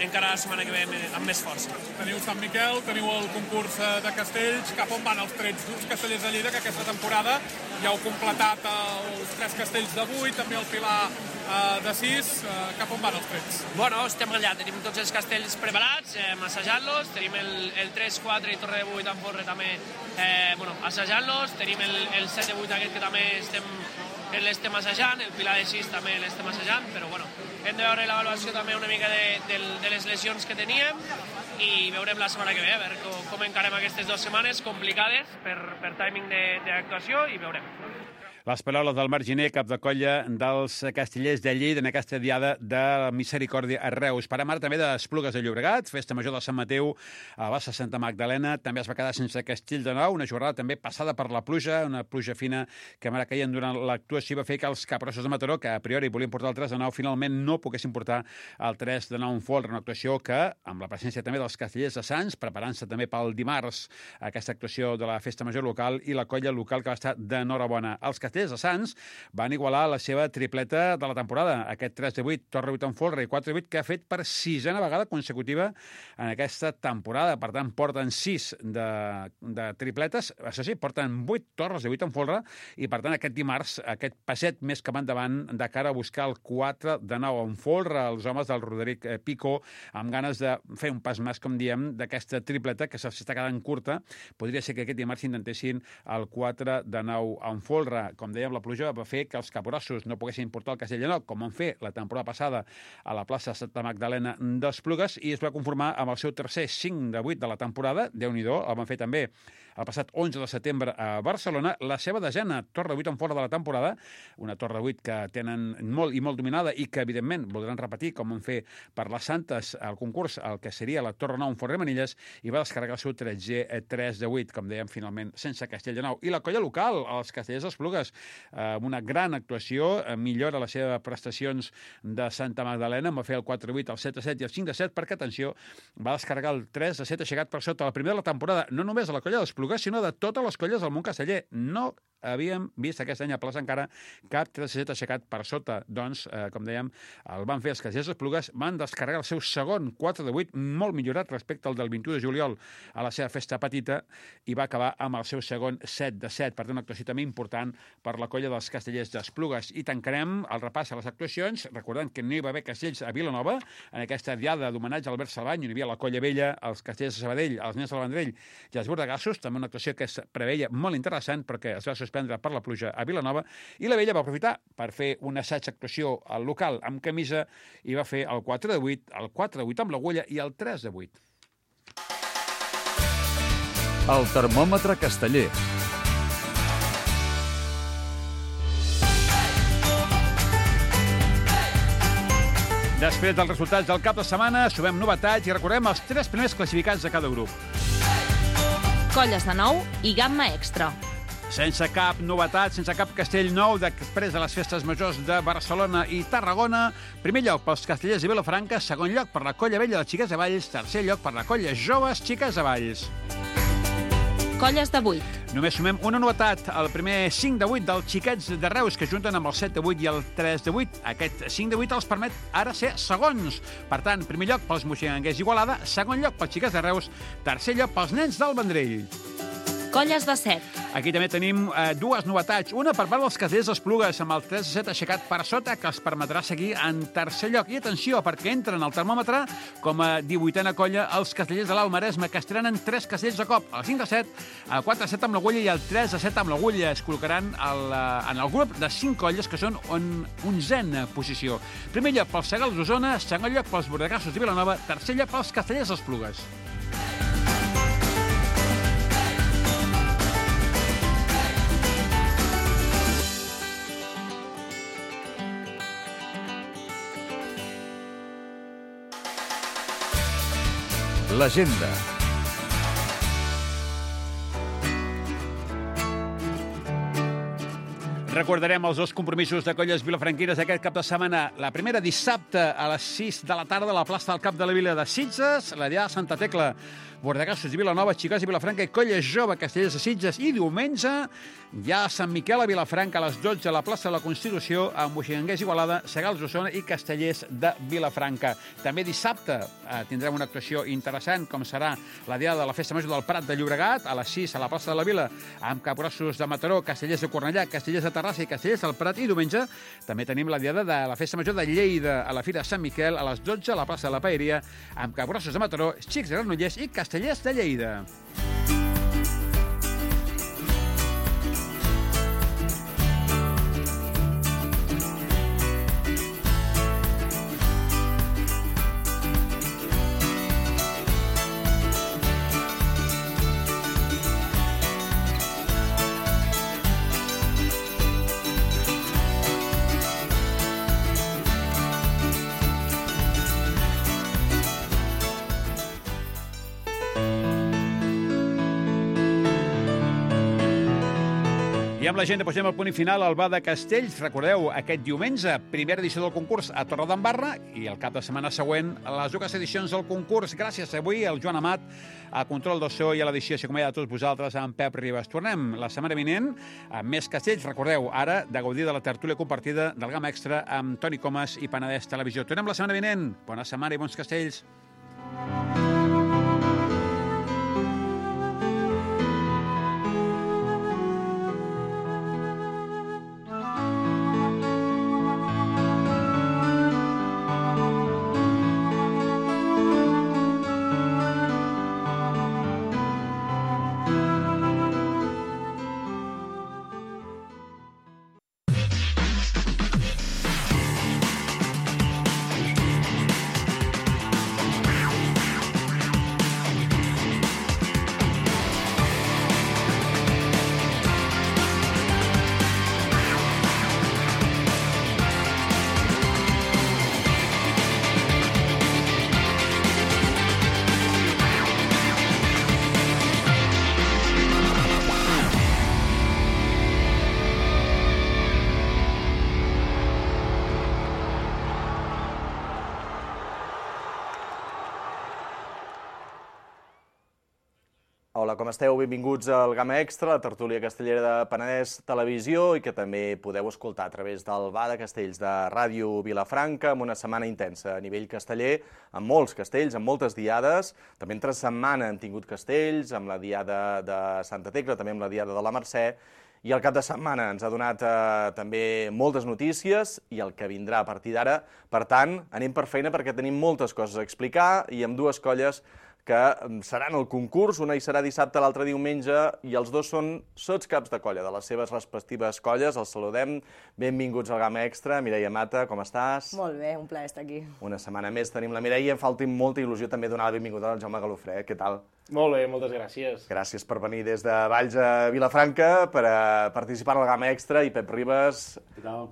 S10: encara la setmana que ve amb més força.
S8: Teniu Sant Miquel, teniu el concurs de castells. Cap on van els trets d'uns castellers de Lleida que aquesta temporada ja heu completat els 3 castells de 8, també el Pilar de 6. Cap on van els trets?
S10: Bueno, estem allà, tenim tots els castells preparats, assajant-los, tenim el 3, 4 i torre de 8 en folre també assajant-los, tenim el 7 de 8 aquest que també l'estem assajant, el Pilar de 6 també l'estem assajant, però bueno, hem de veure l'avaluació també una mica de les lesions que teníem i veurem la setmana que ve, a veure com encarem aquestes 2 setmanes complicades per timing d'actuació i veurem.
S1: Les paraules del Marginer, cap de colla dels Castellers de Lleida en aquesta diada de la Misericòrdia a Reus. Parem ara també d'Esplugues de Llobregat, festa major de Sant Mateu a la bassa Santa Magdalena. També es va quedar sense castell de nou, una jornada també passada per la pluja, una pluja fina que mare caien durant l'actuació va fer que els Capgrossos de Mataró, que a priori volien portar el 3 de 9, finalment no poguessin portar el 3 de 9 en folre, una actuació que, amb la presència també dels Castellers de Sants, preparant-se també pel dimarts aquesta actuació de la festa major local i la colla local que va estar d'enhorabona. Els Castellers de Sants van igualar la seva tripleta de la temporada, aquest 3 de 8, torre 8 en folre i 4 de 8 que ha fet per 6a vegada consecutiva en aquesta temporada. Per tant, porten 6 de tripletes, això sí, porten 8 torres de 8 en folre i, per tant, aquest dimarts, aquest passet més cap endavant de cara a buscar el 4 de 9 en folre, els homes del Roderic Pico, amb ganes de fer un pas més, com diem, d'aquesta tripleta que s'està quedant curta. Podria ser que aquest dimarts intentessin el 4 de 9 en folre. Com dèiem, la pluja va fer que els capgrossos no poguessin portar el castell de nou, com van fer la temporada passada a la plaça Santa Magdalena d'Esplugues, i es va conformar amb el seu tercer 5 de 8 de la temporada. Déu-n'hi-do, el van fer també el passat 11 de setembre a Barcelona, la seva desena torre 8 en fora de la temporada, una torre 8 que tenen molt i molt dominada i que, evidentment, voldran repetir, com van fer per les Santes, al concurs, el que seria la torre 9 en Forrer Manilles, i va descarregar el seu 3 de 8, com dèiem, finalment, sense castell de nou. I la colla local, els Castellers d'Esplugues, amb una gran actuació, millora les seves prestacions de Santa Magdalena, va fer el 4 de 8, el 7 de 7 i el 5 de 7, perquè, atenció, va descarregar el 3 de 7 aixecat per sota la primera de la temporada, no només a la colla d'Esplugues, sinó de totes les colles del món casteller. No havíem vist aquest any a plaça encara cap 3 de 7 aixecat per sota. Doncs, com dèiem, el van fer els Castellers d'Esplugues, van descarregar el seu segon 4 de 8, molt millorat respecte al del 21 de juliol a la seva festa petita, i va acabar amb el seu segon 7 de 7. Per tant, una actuació també important per la colla dels Castellers d'Esplugues. I tancarem el repàs a les actuacions, recordant que no hi va haver castells a Vilanova, en aquesta diada d'homenatge a Albert Salvany, on hi havia la colla vella, els Castellers de Sabadell, els nens del Vendrell i els bordegassos, també una actuació que es preveia molt interessant perquè es va suspendre per la pluja a Vilanova, i la vella va aprofitar per fer un assaig actuació al local amb camisa i va fer el 4 de 8, el 4 de 8 amb l'agulla i el 3 de 8.
S2: El termòmetre casteller.
S1: Després dels resultats del cap de setmana, sumem novetats i recordem els 3 primers classificats de cada grup.
S11: Colles de nou i gamma extra.
S1: Sense cap novetat, sense cap castell nou després de les festes majors de Barcelona i Tarragona. Primer lloc pels Castellers de Vilafranca, segon lloc per la colla vella de Xiques de Valls, tercer lloc per la colla joves Xiques de Valls.
S11: Colles de 8.
S1: Només sumem una novetat, el primer 5 de 8 dels Xiquets de Reus, que junten amb el 7 de 8 i el 3 de 8. Aquest 5 de 8 els permet ara ser segons. Per tant, primer lloc pels moixinguers Igualada, segon lloc pels Xiquets de Reus, tercer lloc pels nens del Vendrell.
S11: Colles de 7.
S1: Aquí també tenim dues novetats. Una per part dels Castellers d'Esplugues, amb el 3 de 7 aixecat per sota, que els permetrà seguir en tercer lloc. I atenció, perquè entren al termòmetre com a 18a colla els Castellers de l'Alt Maresme, que estrenen 3 castells de cop. El 5 de 7, el 4 de 7 amb l'agulla i el 3 de 7 amb l'agulla. Es col·locaran en el grup de 5 colles que són en 11a posició. Primer lloc pels Segals d'Osona, segon lloc pels Bordegassos de Vilanova, tercer lloc pels Castellers d'Esplugues.
S2: L'agenda.
S1: Recordarem els 2 compromisos de colles vilafranquines d'aquest cap de setmana. La primera dissabte a les 6 de la tarda a la plaça del Cap de la Vila de Sitges, la diada de Santa Tecla, Bordegassos de Vilanova, Xiques de Vilafranca i colla jove Castellers de Sitges. I diumenge ja a Sant Miquel a Vilafranca a les 12 a la plaça de la Constitució amb moixinguers Igualada, Segals d'Osona i Castellers de Vilafranca. També dissabte tindrem una actuació interessant com serà la diada de la Festa Major del Prat de Llobregat a les 6 a la plaça de la Vila amb Capgrossos de Mataró, Castellers de Cornellà, Castellers de Terrassa i Castellers del Prat. I diumenge també tenim la diada de la Festa Major de Lleida a la Fira de Sant Miquel a les 12 a la plaça de la Paeria amb Capgrossos de Mataró, Xics de Granollers i Castellers de Lleida. I amb la gent posem el punt i final al Bar de Castells. Recordeu, aquest diumenge, primera edició del concurs a Torredembarra i el cap de setmana següent a les dues edicions del concurs. Gràcies avui al Joan Amat, a control del so i a l'edició. Així com a tots vosaltres, amb Pep Ribas. Tornem la setmana vinent amb més Castells. Recordeu, ara, de gaudir de la tertúlia compartida del Gamma Extra amb Toni Comas i Penedès Televisió. Tornem la setmana vinent. Bona setmana i bons Castells.
S4: Hola, com esteu? Benvinguts al Gamma Extra, la tertúlia castellera de Penedès Televisió i que també podeu escoltar a través del Bar de Castells de Ràdio Vilafranca amb una setmana intensa a nivell casteller, amb molts castells, amb moltes diades. També entre setmana hem tingut castells, amb la diada de Santa Tecla, també amb la diada de la Mercè, i el cap de setmana ens ha donat també moltes notícies i el que vindrà a partir d'ara. Per tant, anem per feina perquè tenim moltes coses a explicar i amb dues colles que seran el concurs, una hi serà dissabte, l'altra diumenge, i els dos són sotscaps de colla, de les seves respectives colles. Els saludem. Benvinguts al Gamma Extra. Mireia Mata, com estàs?
S12: Molt bé, un plaer estar aquí.
S4: Una setmana més tenim la Mireia. Em falta molta il·lusió també donar la benvinguda al Jaume Galofré. Què tal?
S13: Molt bé, moltes gràcies.
S4: Gràcies per venir des de Valls a Vilafranca per participar al Gamma Extra. I Pep Ribas,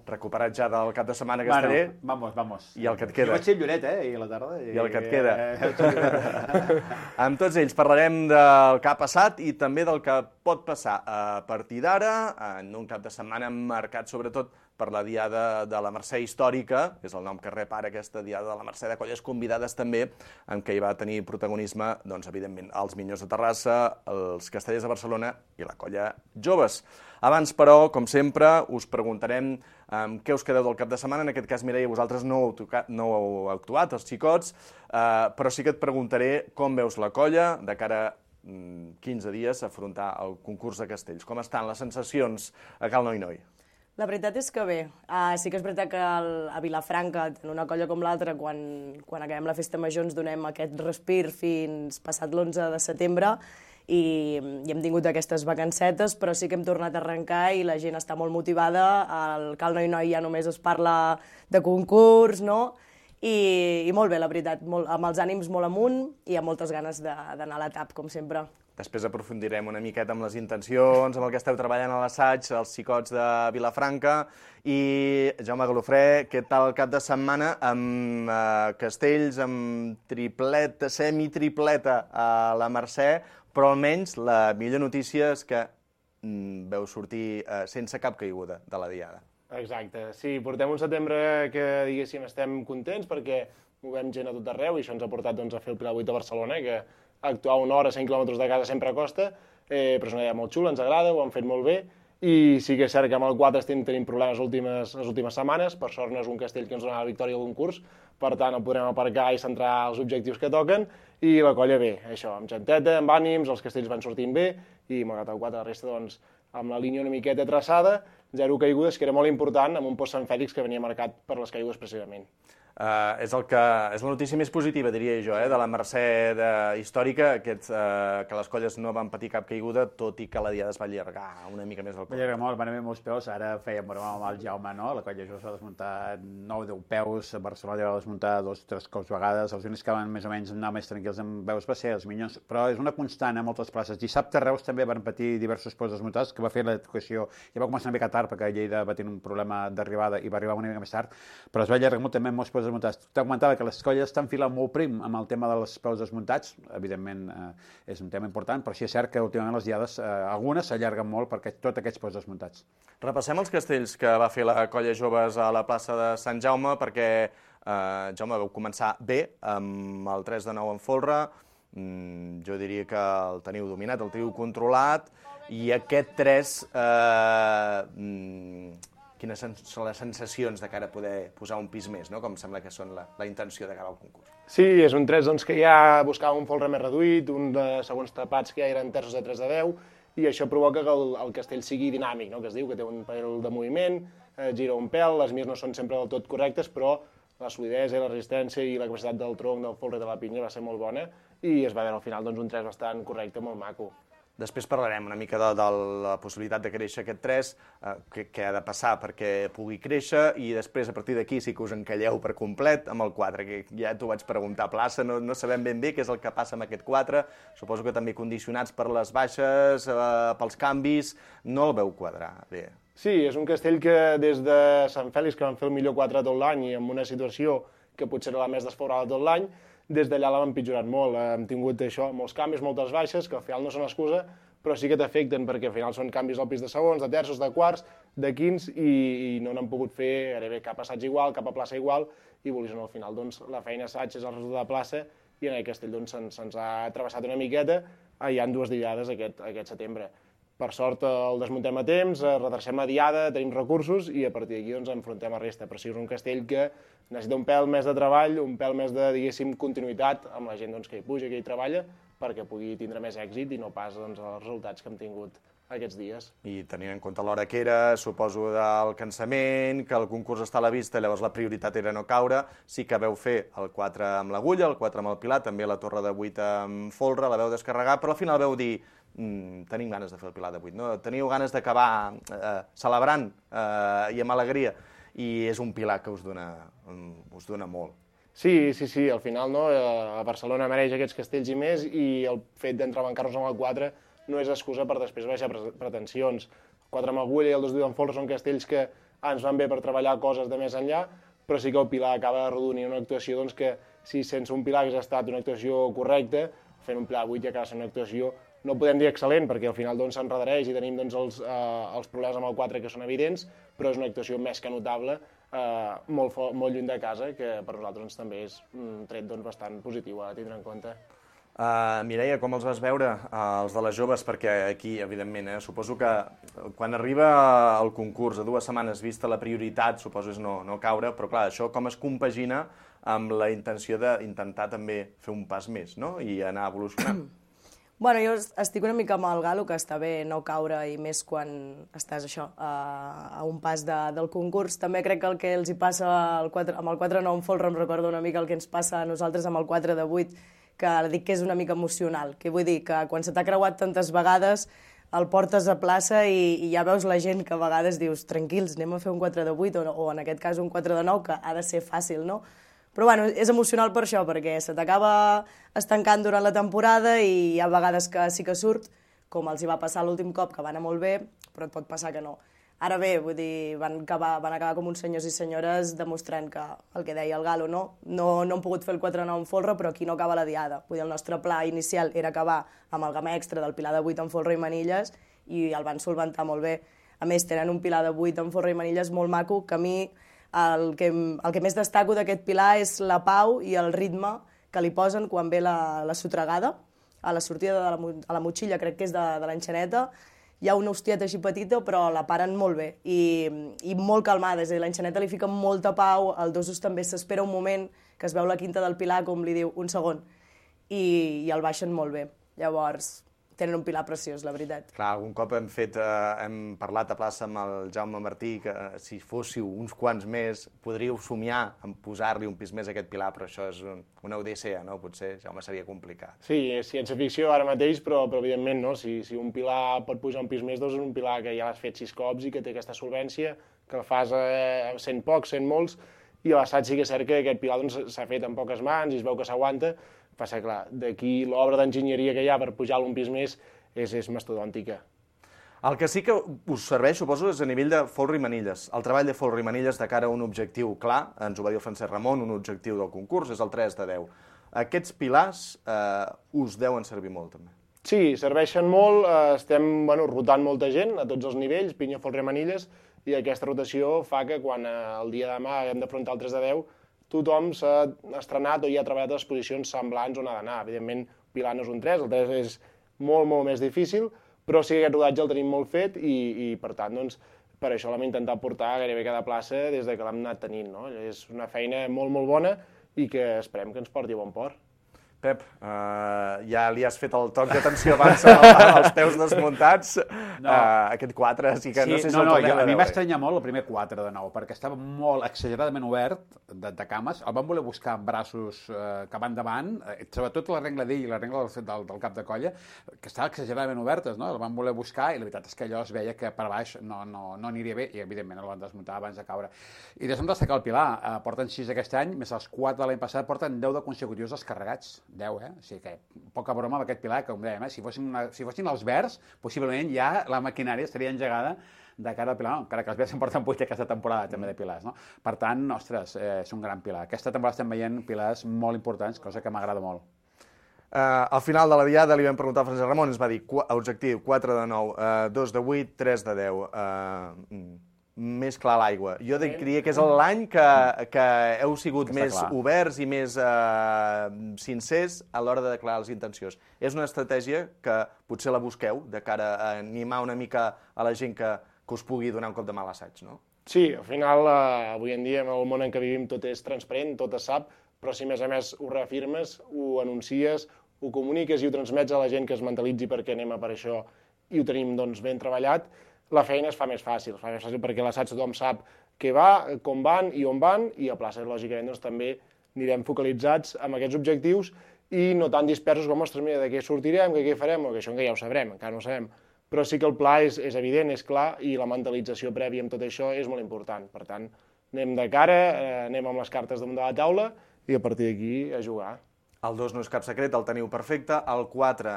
S4: recuperat ja del cap de setmana casteller.
S1: Vamos.
S4: I el que et queda.
S1: Jo vaig ser Lloret, ahir a la tarda.
S4: I el que et queda. Amb tots ells parlarem del que ha passat i també del que pot passar a partir d'ara, en un cap de setmana marcat sobretot per la Diada de la Mercè Històrica, és el nom que rep ara aquesta Diada de la Mercè, de colles convidades també, en què hi va tenir protagonisme, doncs, evidentment, els Minyons de Terrassa, els Castellers de Barcelona i la colla Joves. Abans, però, com sempre, us preguntarem què us quedeu del cap de setmana. En aquest cas, Mireia, vosaltres no heu actuat, els xicots, però sí que et preguntaré com veus la colla de cara a 15 dies a afrontar el concurs de castells. Com estan les sensacions a Cal Noi?
S12: La veritat és que bé. Sí que és veritat que a Vilafranca, en una colla com l'altra, quan acabem la festa major ens donem aquest respir fins passat l'11 de setembre i hem tingut aquestes vacancetes, però sí que hem tornat a arrencar i la gent està molt motivada. Al Cal Noi ja només es parla de concurs, no? I molt bé, la veritat, amb els ànims molt amunt i amb moltes ganes d'anar a l'etap, com sempre.
S4: Després aprofundirem una miqueta amb les intencions, amb el que esteu treballant a l'assaig, els xicots de Vilafranca. I, Jaume Galofré, què tal el cap de setmana amb castells, amb tripleta, semitripleta a la Mercè, però almenys la millor notícia és que veu sortir sense cap caiguda de la diada.
S13: Exacte, sí, portem un setembre que, diguéssim, estem contents perquè movem gent a tot arreu i això ens ha portat a fer el Pilar 8 de Barcelona, que actuar una hora a 100 quilòmetres de casa sempre costa, però és una idea molt xula, ens agrada, ho han fet molt bé, i sí que és cert que amb el 4 estem tenint problemes les últimes setmanes, per sort no és un castell que ens dona la victòria al concurs, per tant el podrem aparcar i centrar els objectius que toquen, i la colla bé, això, amb genteta, amb ànims, els castells van sortint bé, i malgrat el 4 la resta, doncs, amb la línia una miqueta traçada, 0 caigudes, que era molt important, amb un post Sant Fèlix que venia marcat per les caigudes precisament.
S4: És la notícia més positiva, diria jo, de la Mercè històrica, que les colles no van patir cap caiguda, tot i que la diada es va allargar una mica més al cop.
S1: Va allargar molt, van haver molts peus, ara fèiem broma amb el Jaume, no? La colla Joves va desmuntar 9-10 peus, a Barcelona va desmuntar 2 o 3 cops vegades, els únics que van més o menys anar més tranquils amb veus va ser els Minyons, però és una constant a moltes places. Dissabte a Reus també van patir diversos peus desmuntats, que va fer l'educació, ja va començar una mica tard, perquè Lleida va tenir un problema d'arribada i va arribar una mica més tard, però es va allargar molt també molts peus desmuntats. T'augmentava que les colles estan filant molt prim amb el tema dels peus desmuntats, evidentment és un tema important, però sí és cert que últimament les diades, algunes s'allarguen molt per tots aquests peus desmuntats.
S4: Repassem els castells que va fer la Colla Joves a la plaça de Sant Jaume, perquè, Jaume, vau començar bé amb el 3-9 en folre. Jo diria que el teniu dominat, el teniu controlat, i aquest 3, quines són les sensacions de cara a poder posar un pis més, no? Com sembla que són la intenció de cara al concurs.
S13: Sí, és un 3 doncs, que ja buscava un folre més reduït, un de segons tapats que ja eren terços de 3 de 10, i això provoca que el castell sigui dinàmic, no? Que es diu que té un pèl de moviment, gira un pèl, les mirs no són sempre del tot correctes, però la solidesa i la resistència i la capacitat del tronc, del folre i de la pinya va ser molt bona, i es va veure al final doncs, un 3 bastant correcte, molt maco.
S4: Després parlarem una mica de la possibilitat de créixer aquest 3, què ha de passar perquè pugui créixer, i després a partir d'aquí sí que us encalleu per complet amb el 4, que ja t'ho vaig preguntar a plaça, no sabem ben bé què és el que passa amb aquest 4, suposo que també condicionats per les baixes, pels canvis, no el veu quadrar bé.
S13: Sí, és un castell que des de Sant Fèlix, que van fer el millor 4 tot l'any i en una situació que potser era la més desfavorable tot l'any, des d'allà l'hem empitjorat molt. Hem tingut això, molts canvis, moltes baixes, que al final no són excusa, però sí que t'afecten, perquè al final són canvis al pis de segons, de terços, de quarts, de quints, i no n'han pogut fer gairebé cap assaig igual, cap a plaça igual, i volies al final doncs, la feina assaig és el resultat de plaça, i en aquest castell doncs, se'ns ha travessat una miqueta, hi ha 2 diades aquest setembre. Per sort el desmuntem a temps, redrecem la diada, tenim recursos i a partir d'aquí doncs, enfrontem a resta. Però sí, és un castell que necessita un pèl més de treball, un pèl més de, diguéssim, continuïtat amb la gent doncs, que hi puja, que hi treballa, perquè pugui tindre més èxit i no pas doncs, els resultats que hem tingut aquests dies.
S4: I tenint en compte l'hora que era, suposo del cansament, que el concurs està a la vista, llavors la prioritat era no caure, sí que veu fer el 4 amb l'agulla, el 4 amb el pilar, també la torre de 8 amb folre, la veu descarregar, però al final veu dir tenim ganes de fer el pilar de 8, no? Teniu ganes d'acabar celebrant i amb alegria, i és un pilar que us dona molt.
S13: Sí, al final no? A Barcelona mereix aquests castells i més, i el fet d'entrebancar-nos amb el 4 no és excusa per després baixar pretensions. El 4 amb agulla i el 2 amb folre són castells que ens van bé per treballar coses de més enllà, però sí que el pilar acaba arrodonint una actuació doncs, que si sense un pilar hagués estat una actuació correcta, fent un pilar de 8 ja acaba sent una actuació, no podem dir excel·lent, perquè al final s'enredareix i tenim els problemes amb el 4 que són evidents, però és una actuació més que notable, molt lluny de casa, que per nosaltres també és un tret bastant positiu a tindre en compte.
S4: Mireia, com els vas veure, els de les joves? Perquè aquí, evidentment, suposo que quan arriba el concurs a 2 setmanes vista la prioritat, suposo és no caure, però clar, això com es compagina amb la intenció d'intentar també fer un pas més, no? I anar evolucionant.
S12: Bueno, jo estic una mica amb el Galo, que està bé no caure, i més quan estàs a un pas del concurs. També crec que el que els hi passa amb el 4-9 en folre em recorda una mica el que ens passa a nosaltres amb el 4 de 8, que dic que és una mica emocional. Que vull dir que quan se t'ha creuat tantes vegades el portes a plaça i ja veus la gent que a vegades dius tranquils, anem a fer un 4 de 8 o en aquest cas un 4 de 9, que ha de ser fàcil, no? Però bueno, és emocional per això, perquè se t'acaba estancant durant la temporada i hi ha vegades que sí que surt, com els hi va passar l'últim cop, que va anar molt bé, però et pot passar que no. Ara bé, vull dir, van acabar com uns senyors i senyores demostrant que el que deia el Galo, no han pogut fer el 4-9 en folre, però aquí no acaba la diada. Vull dir, el nostre pla inicial era acabar amb el gamma extra del pilar de 8 en folre i manilles i el van solventar molt bé. A més, tenen un pilar de 8 en folre i manilles molt maco, que a mi el que més destaco d'aquest pilar és la pau i el ritme que li posen quan ve la sotregada, a la sortida de la motxilla, crec que és de l'enxaneta. Hi ha una hostieta així petita, però la paren molt bé i molt calmada, és a dir, l'enxaneta li fica molta pau, el dosos també s'espera un moment, que es veu la quinta del pilar, com li diu, un segon, i el baixen molt bé. Llavors, tenen un pilar preciós, la veritat.
S4: Clar, algun cop hem parlat a plaça amb el Jaume Martí que si fóssiu uns quants més podríeu somiar en posar-li un pis més a aquest pilar, però això és una odissea, no? Potser, Jaume, seria complicat.
S13: Sí, és ciència-ficció ara mateix, però evidentment, no? Si un pilar pot pujar un pis més, doncs és un pilar que ja l'has fet 6 cops i que té aquesta solvència, que el fas sent pocs, sent molts, i a l'assaig sí que és cert que aquest pilar s'ha fet amb poques mans i es veu que s'aguanta. Passa, clar, d'aquí l'obra d'enginyeria que hi ha per pujar-lo un pis més és mastodòntica.
S4: El que sí que us serveix, suposo, és a nivell de folre i manilles. El treball de folre i manilles de cara a un objectiu clar, ens ho va dir el Francesc Ramon, un objectiu del concurs, és el 3 de 10. Aquests pilars us deuen servir molt, també.
S13: Sí, serveixen molt, estem rotant molta gent a tots els nivells, pinya, folre i manilles, i aquesta rotació fa que quan el dia de demà hem d'afrontar el 3 de 10, tothom s'ha estrenat o ja ha treballat a les posicions semblants on ha d'anar. Evidentment, pilar no és un 3, el 3 és molt, molt més difícil, però sí que aquest rodatge el tenim molt fet i per tant, doncs, per això l'hem intentat portar gairebé cada plaça des de que l'hem anat tenint, no? És una feina molt, molt bona i que esperem que ens porti a bon port.
S4: Pep, ja li has fet el toc d'atenció abans als teus desmuntats. Aquest 4 sí que no sé si el tornem a veure.
S1: A mi m'estranya molt el primer 4 de 9, perquè estava molt exageradament obert de cames. El van voler buscar amb braços que van davant, sobretot la regla d'ell i la regla del cap de colla, que estava exageradament obertes, no? El van voler buscar i la veritat és que allò es veia que per baix no aniria bé i evidentment el van desmuntar abans de caure. I deixa'm destacar el Pilar. Porten 6 aquest any, més els 4 de l'any passat, porten 10 de consecutius descarregats. 10, O sigui que poca broma amb aquest Pilar, com dèiem, si fossin els verds, possiblement ja la maquinària estaria engegada de cara al Pilar, encara que els verds en porten 8 aquesta temporada també de pilars, no? Per tant, ostres, és un gran Pilar. Aquesta temporada estem veient pilars molt importants, cosa que m'agrada molt.
S4: Al final de la diada li vam preguntar a Francesc Ramon, ens va dir objectiu 4 de 9, 2 de 8, 3 de 10. Més clar l'aigua. Jo diria que és l'any que heu sigut més oberts i més sincers a l'hora de declarar les intencions. És una estratègia que potser la busqueu de cara a animar una mica a la gent que us pugui donar un cop de mà a l'assaig, no?
S13: Sí, al final, avui en dia, en el món en què vivim, tot és transparent, tot es sap, però si a més ho reafirmes, ho anuncies, ho comuniques i ho transmets a la gent que es mentalitzi perquè anem a per això i ho tenim doncs, ben treballat, la feina es fa més fàcil perquè a l'assaig tothom sap què va, com van i on van, i a plaça, lògicament, doncs, també anirem focalitzats amb aquests objectius i no tan dispersos com, ostres, mira, de què sortirem, què farem, o que això ja ho sabrem, encara no ho sabem. Però sí que el pla és evident, és clar, i la mentalització prèvia amb tot això és molt important. Per tant, anem de cara, anem amb les cartes damunt de la taula i a partir d'aquí a jugar.
S4: El 2 no és cap secret, el teniu perfecte. El 4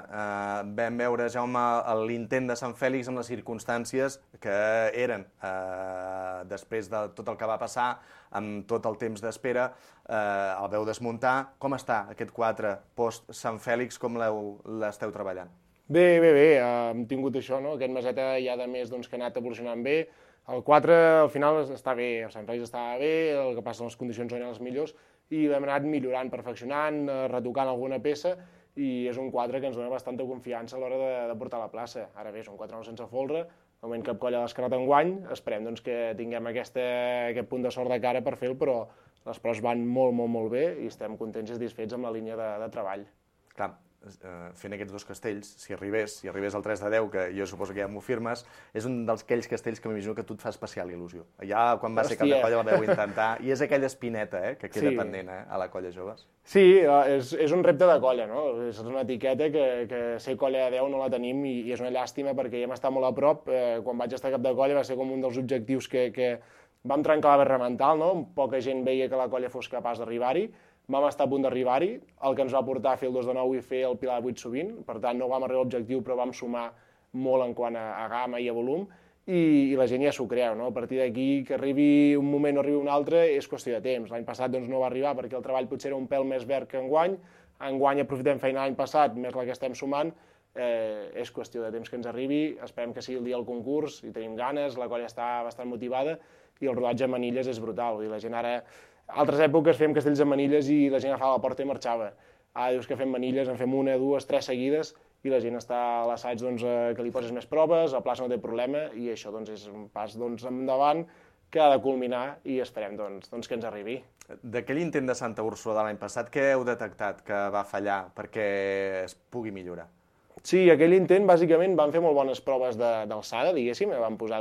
S4: vam veure, Jaume, l'intent de Sant Fèlix amb les circumstàncies que eren. Després de tot el que va passar, amb tot el temps d'espera, el veu desmuntar. Com està aquest 4 post-Sant Fèlix? Com l'esteu treballant?
S13: Bé. Hem tingut això, no? Aquest meseta ja de més que ha anat evolucionant bé. El 4 al final està bé, el Sant Fèlix estava bé, el que passa les condicions no eren les millors, i l'hem anat millorant, perfeccionant, retocant alguna peça, i és un 4 que ens dona bastanta confiança a l'hora de portar a la plaça. Ara bé, és un 4 sense folre, de moment cap colla l'ha descartat enguany, esperem que tinguem aquest punt de sort de cara per fer-ho, però les proves van molt bé i estem contents i satisfets amb la línia de treball.
S4: Clar, fent aquests 2 castells, si arribés al 3 de 10, que jo suposo que ja m'ho firmes, és un d'aquells castells que m'imagino que tu et fa especial il·lusió. Ja quan va ser cap de colla la vau intentar, i és aquella espineta que queda pendent a la colla joves.
S13: Sí, és un repte de colla, no? És una etiqueta que ser colla de 10 no la tenim i és una llàstima perquè ja hem estat molt a prop. Quan vaig estar cap de colla va ser com un dels objectius que vam trencar la barrera mental, no? Poca gent veia que la colla fos capaç d'arribar-hi. Vam estar a punt d'arribar-hi, el que ens va portar a fer el 2 de 9 i fer el Pilar 8 sovint, per tant no vam arribar a l'objectiu però vam sumar molt en quant a gamma i a volum i la gent ja s'ho creu, no? A partir d'aquí que arribi un moment o arribi un altre és qüestió de temps. L'any passat no va arribar perquè el treball potser era un pèl més verd que enguany aprofitem feina l'any passat, més la que estem sumant, és qüestió de temps que ens arribi, esperem que sigui el dia del concurs, hi tenim ganes, la colla està bastant motivada i el rodatge a manilles és brutal, vull dir, la gent ara altres èpoques fèiem castells de manilles i la gent agafava la porta i marxava. Ara dius que fem manilles, en fem 1, 2, 3 seguides i la gent està a l'assaig que li poses més proves, a plaça no té problema i això és un pas endavant que ha de culminar i esperem que ens arribi.
S4: D'aquell intent de Santa Úrsula de l'any passat, què heu detectat que va fallar perquè es pugui millorar?
S13: Sí, aquell intent bàsicament van fer molt bones proves d'alçada, diguéssim, van posar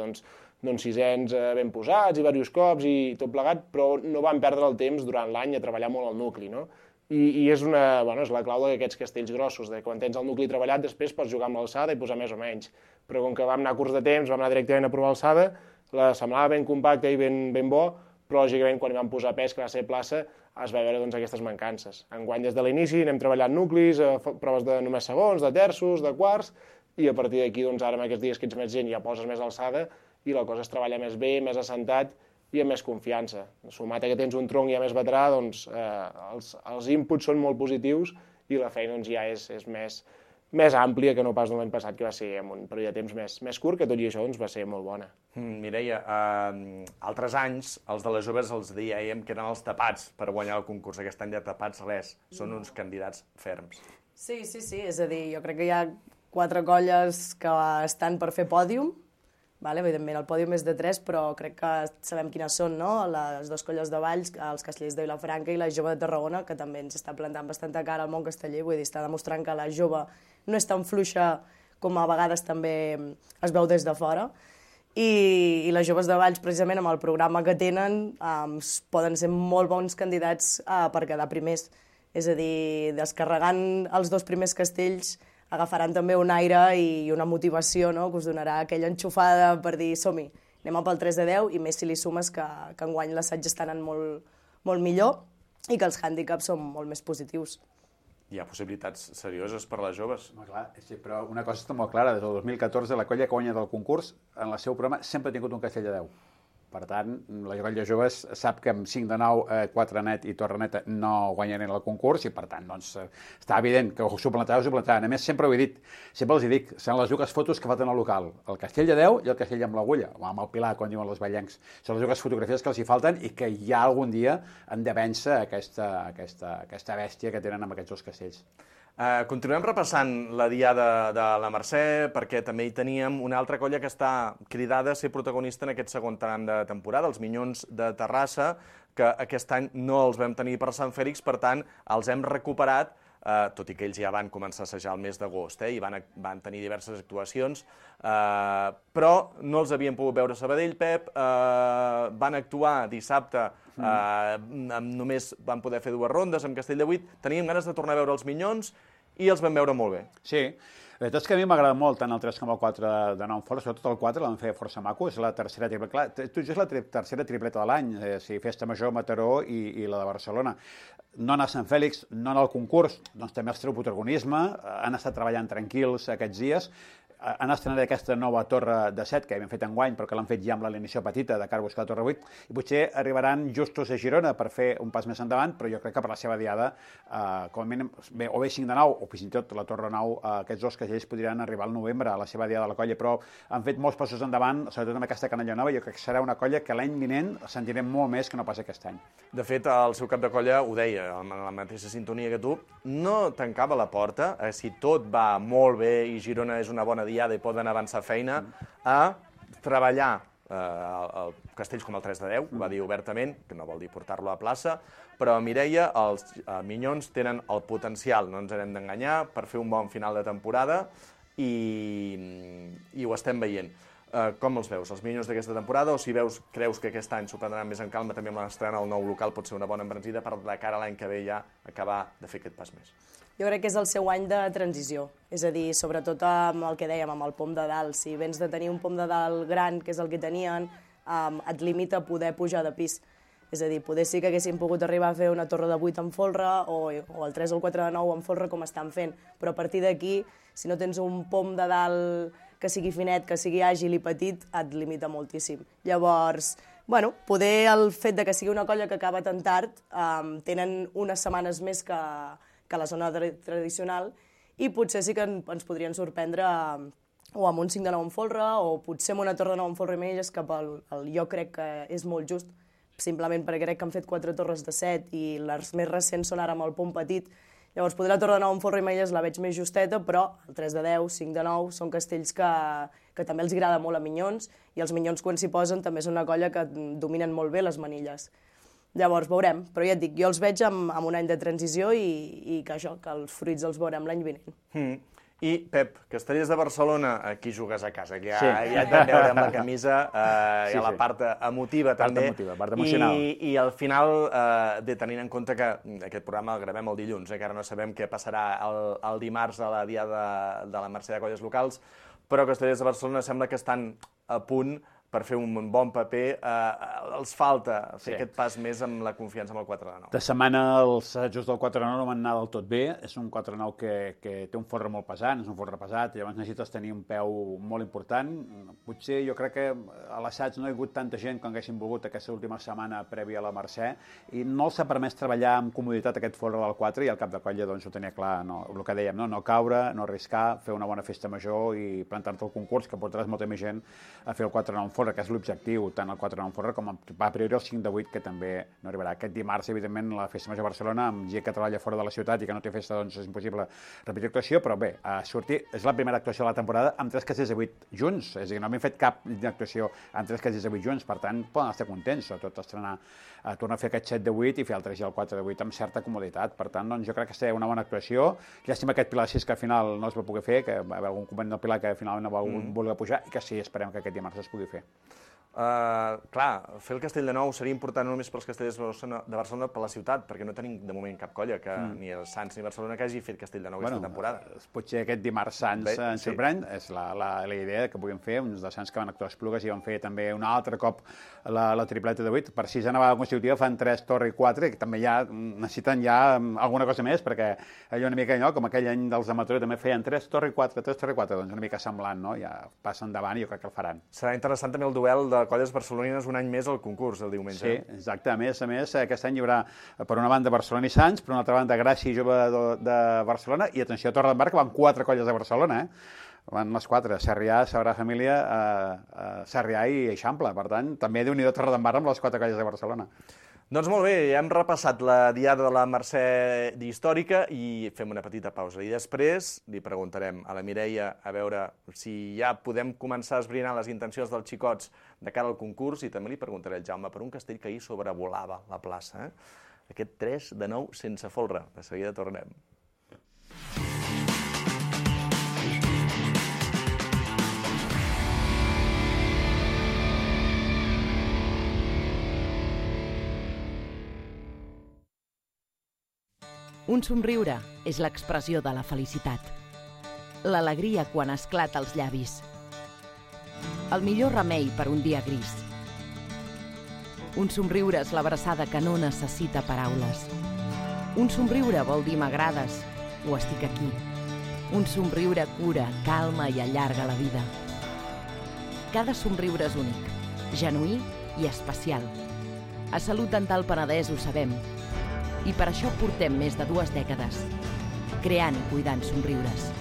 S13: sisens ben posats i diversos cops i tot plegat, però no van perdre el temps durant l'any a treballar molt el nucli, no? I és la clau d'aquests castells grossos, que quan tens el nucli treballat després pots jugar amb l'alçada i posar més o menys, però com que vam anar curts de temps, vam anar directament a provar alçada, la semblava ben compacta i ben bo, però lògicament quan hi vam posar pes, que va ser plaça, es va veure aquestes mancances. Enguany des de l'inici anem treballant nuclis, proves de només segons, de terços, de quarts, i a partir d'aquí, doncs, ara amb aquests dies que ets més gent ja poses més alçada i la cosa es treballa més bé, més assentat i amb més confiança. Sumat a que tens un tronc ja més veterà, doncs els inputs són molt positius i la feina doncs, ja és més àmplia que no pas l'any passat, que va ser en un període de temps més curt, que tot i això doncs, va ser molt bona.
S14: Mireia, altres anys, els de les joves els dèiem que eren els tapats per guanyar el concurs. Aquest any de tapats res, són uns candidats ferms.
S12: Sí, és a dir, jo crec que hi ha 4 colles que estan per fer pòdium, evidentment el pòdium és de 3, però crec que sabem quines són, no? Les 2 colles de Valls, els Castellers de Vilafranca i la Jove de Tarragona, que també ens està plantant bastanta cara al món casteller, vull dir, està demostrant que la jove no és tan fluixa com a vegades també es veu des de fora. I les joves de Valls, precisament amb el programa que tenen, poden ser molt bons candidats per quedar primers. És a dir, descarregant els 2 primers castells, agafaran també un aire i una motivació, no?, que us donarà aquella enxufada per dir som-hi, anem pel 3 de 10, i més si li sumes que enguany l'assaig està anant molt millor i que els hàndicaps són molt més positius.
S14: Hi ha possibilitats serioses per a les joves.
S1: Clar, sí, però una cosa està molt clara, des del 2014 la colla que guanya del concurs en el seu programa sempre ha tingut un castell de 10. Per tant, la colla joves sap que amb 5 de 9, 4 net i torre neta no guanyaran el concurs i per tant, doncs, està evident que ho suplantaran. A més, sempre ho he dit, sempre els dic, són les dues fotos que falten al local, el castell de 10 i el castell amb l'agulla, o amb el pilar, com diuen els ballencs. Són les dues fotografies que els hi falten i que ja algun dia han de vèncer aquesta bèstia que tenen amb aquests 2 castells.
S14: Continuem repassant la diada de la Mercè, perquè també hi teníem una altra colla que està cridada a ser protagonista en aquest segon tram de temporada, els Minyons de Terrassa, que aquest any no els vam tenir per Sant Fèlix, per tant, els hem recuperat, tot i que ells ja van començar a assajar el mes d'agost i van tenir diverses actuacions, però no els havien pogut veure a Sabadell, Pep, van actuar dissabte, només van poder fer 2 rondes amb Castell de 8, teníem ganes de tornar a veure els Minyons i els vam veure molt bé.
S1: Sí, la veritat és que a mi m'agrada molt tant el 3 com el 4 de nou en fora, sobretot el 4 l'han fet força maco, és la tercera tripleta, clar, tot just la tercera tripleta de l'any, Festa Major, Mataró i la de Barcelona. No anar a Sant Fèlix, no anar al concurs, doncs també els treu protagonisme, han estat treballant tranquils aquests dies, han estrenat aquesta nova torre de 7, que havien fet enguany, però que l'han fet ja amb l'alineació petita de cara a buscar la torre 8, i potser arribaran justos a Girona per fer un pas més endavant, però jo crec que per la seva diada, com a mínim, o bé 5 de 9, o fins i tot la torre 9, aquests 2 castells podrien arribar al novembre a la seva diada de la colla, però han fet molts passos endavant, sobretot amb aquesta canalla nova, jo crec que serà una colla que l'any vinent sentirem molt més que no pas aquest any.
S14: De fet, el seu cap de colla ho deia, en la mateixa sintonia que tu, no tancava la porta, si tot va molt bé i Girona és una bona diada i poden avançar feina, a treballar castells com el 3 de 10, va dir obertament, que no vol dir portar-lo a plaça, però Mireia, els Minyons tenen el potencial, no ens hem d'enganyar, per fer un bon final de temporada i ho estem veient. Com els veus, els Minyons d'aquesta temporada, o si creus que aquest any s'ho prendran més en calma, també amb l'estrena al nou local pot ser una bona embranzida per de cara a l'any que ve ja acabar de fer aquest pas més?
S12: Jo crec que és el seu any de transició, és a dir, sobretot amb el que dèiem, amb el pom de dalt. Si vens de tenir un pom de dalt gran, que és el que tenien, et limita a poder pujar de pis. És a dir, poder sí que haguessin pogut arribar a fer una torre de 8 en folre o el 3 o el 4 de 9 en folre com estan fent, però a partir d'aquí, si no tens un pom de dalt que sigui finet, que sigui àgil i petit, et limita moltíssim. Llavors, poder el fet de que sigui una colla que acaba tan tard, tenen unes setmanes més que la zona tradicional i potser sí que ens podrien sorprendre o amb un 5 de 9 en folre o potser amb una torre de 9 en folre i menys, que jo crec que és molt just, simplement perquè crec que han fet 4 torres de 7 i les més recents són ara amb el pom petit. Llavors, poder la torre de 9 en folre i menys la veig més justeta, però el 3 de 10, 5 de 9 són castells que també els agrada molt a Minyons i els Minyons quan s'hi posen també és una colla que dominen molt bé les manilles. Llavors, veurem, però ja et dic, jo els veig amb un any de transició i que els fruits els veurem l'any vinent.
S14: I, Pep, Castellers de Barcelona, aquí jugues a casa, ja et vam veure amb la camisa, hi ha la part emotiva també,
S1: part emocional.
S14: I al final, tenint en compte que aquest programa el gravem el dilluns, que ara no sabem què passarà el dimarts a la diada de la Mercè de Colles Locals, però Castellers de Barcelona sembla que estan a punt per fer un bon paper, els falta fer aquest pas més amb la confiança amb el 4 de 9.
S1: De setmana els assajos del 4 de 9 no van anar del tot bé, és un 4 de 9 que té un folre molt pesant, és un folre pesat, llavors necessites tenir un peu molt important. Potser jo crec que a l'assaig no hi ha hagut tanta gent com haguessin volgut aquesta última setmana prèvia a la Mercè, i no els ha permès treballar amb comoditat aquest folre del 4, i al cap de colla doncs, ho tenia clar, el que dèiem, no caure, no arriscar, fer una bona festa major i plantar-te al concurs, que portaràs molta més gent a fer el 4 de 9 folre, que és l'objectiu, tant el 4 de 9 folre com a priori el 5 de 8, que també no arribarà. Aquest dimarts, evidentment, la festa major a Barcelona, amb gent que treballa fora de la ciutat i que no té festa, doncs és impossible repetir actuació, però bé, és la primera actuació de la temporada amb 3 castells de 8 junts, és a dir, no hem fet cap actuació amb 3 castells de 8 junts, per tant, poden estar contents, sobretot estrenar, tornar a fer aquest 7 de 8 i fer el 3 i el 4 de 8 amb certa comoditat. Per tant, doncs, jo crec que serà una bona actuació. Llàstima aquest Pilar 6 que al final no es va poder fer, que va haver algun component del Pilar que finalment no va voler pujar, i que sí, esperem que aquest dimarts es pugui fer.
S14: Clar, fer el Castell de Nou seria important no només pels castellers de Barcelona, per la ciutat, perquè no tenim de moment cap colla, que ni el Sants ni Barcelona que hagi fet Castell de Nou aquesta temporada.
S1: Potser aquest dimarts Sants ens sorprèn, és la idea que puguem fer, uns dels Sants que van actuar a Esplugues i van fer també un altre cop la tripleta de 8, per 6a vegada consecutiva fan 3, torre i 4, que també ja necessiten alguna cosa més, perquè allò una mica allò, com aquell any dels amateurs també feien 3, torre i 4, 3, torre i 4, doncs una mica semblant, no? Ja passen endavant i jo crec que el faran.
S14: Serà interessant també el duel de colles barcelonines un any més al concurs, el diumenge.
S1: Sí, exacte. A més, aquest any hi haurà, per una banda, Barcelona i Sants, per una altra banda, Gràcia i Jove de Barcelona, i atenció a Torredembarra, que van 4 colles de Barcelona, Van les 4, Sarrià, Sagrada Família, Sarrià i Eixample. Per tant, també Déu-n'hi-do Torredembarra amb les 4 colles de Barcelona.
S14: Doncs molt bé, ja hem repassat la diada de la Mercè històrica i fem una petita pausa. I després li preguntarem a la Mireia a veure si ja podem començar a esbrinar les intencions dels xicots de cara al concurs, i també li preguntaré al Jaume per un castell que ahir sobrevolava la plaça. Aquest 3 de 9 sense folre. De seguida tornem.
S15: Un somriure és l'expressió de la felicitat. L'alegria quan esclata als llavis. El millor remei per un dia gris. Un somriure és l'abraçada que no necessita paraules. Un somriure vol dir m'agrades o estic aquí. Un somriure cura, calma i allarga la vida. Cada somriure és únic, genuí i especial. A Salut Dental Penedès ho sabem. I per això portem més de 2 dècades, creant i cuidant somriures.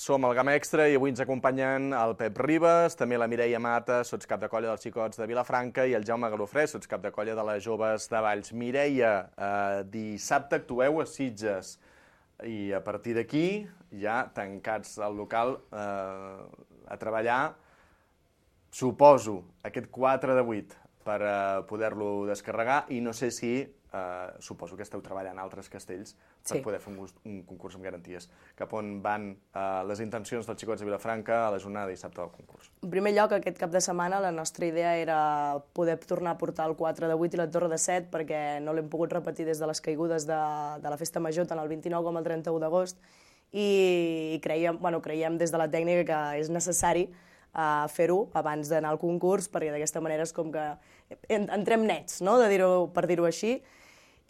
S14: Som al Gamma Extra i avui ens acompanyen el Pep Ribas, també la Mireia Mata, sotscap de colla dels xicots de Vilafranca, i el Jaume Galofré, sotscap de colla de les joves de Valls. Mireia, dissabte actueu a Sitges i a partir d'aquí, ja tancats al local, a treballar, suposo, aquest 4 de 8 per poder-lo descarregar, i no sé si, suposo que esteu treballant altres castells per poder fer un concurs amb garanties. Cap on van les intencions dels xicots de Vilafranca a la jornada de dissabte del concurs?
S12: En primer lloc, aquest cap de setmana la nostra idea era poder tornar a portar el 4 de 8 i la torre de 7, perquè no l'hem pogut repetir des de les caigudes de la festa major, tant el 29 com el 31 d'agost, i creiem des de la tècnica que és necessari fer-ho abans d'anar al concurs, perquè d'aquesta manera és com que entrem nets, no? Per dir-ho així.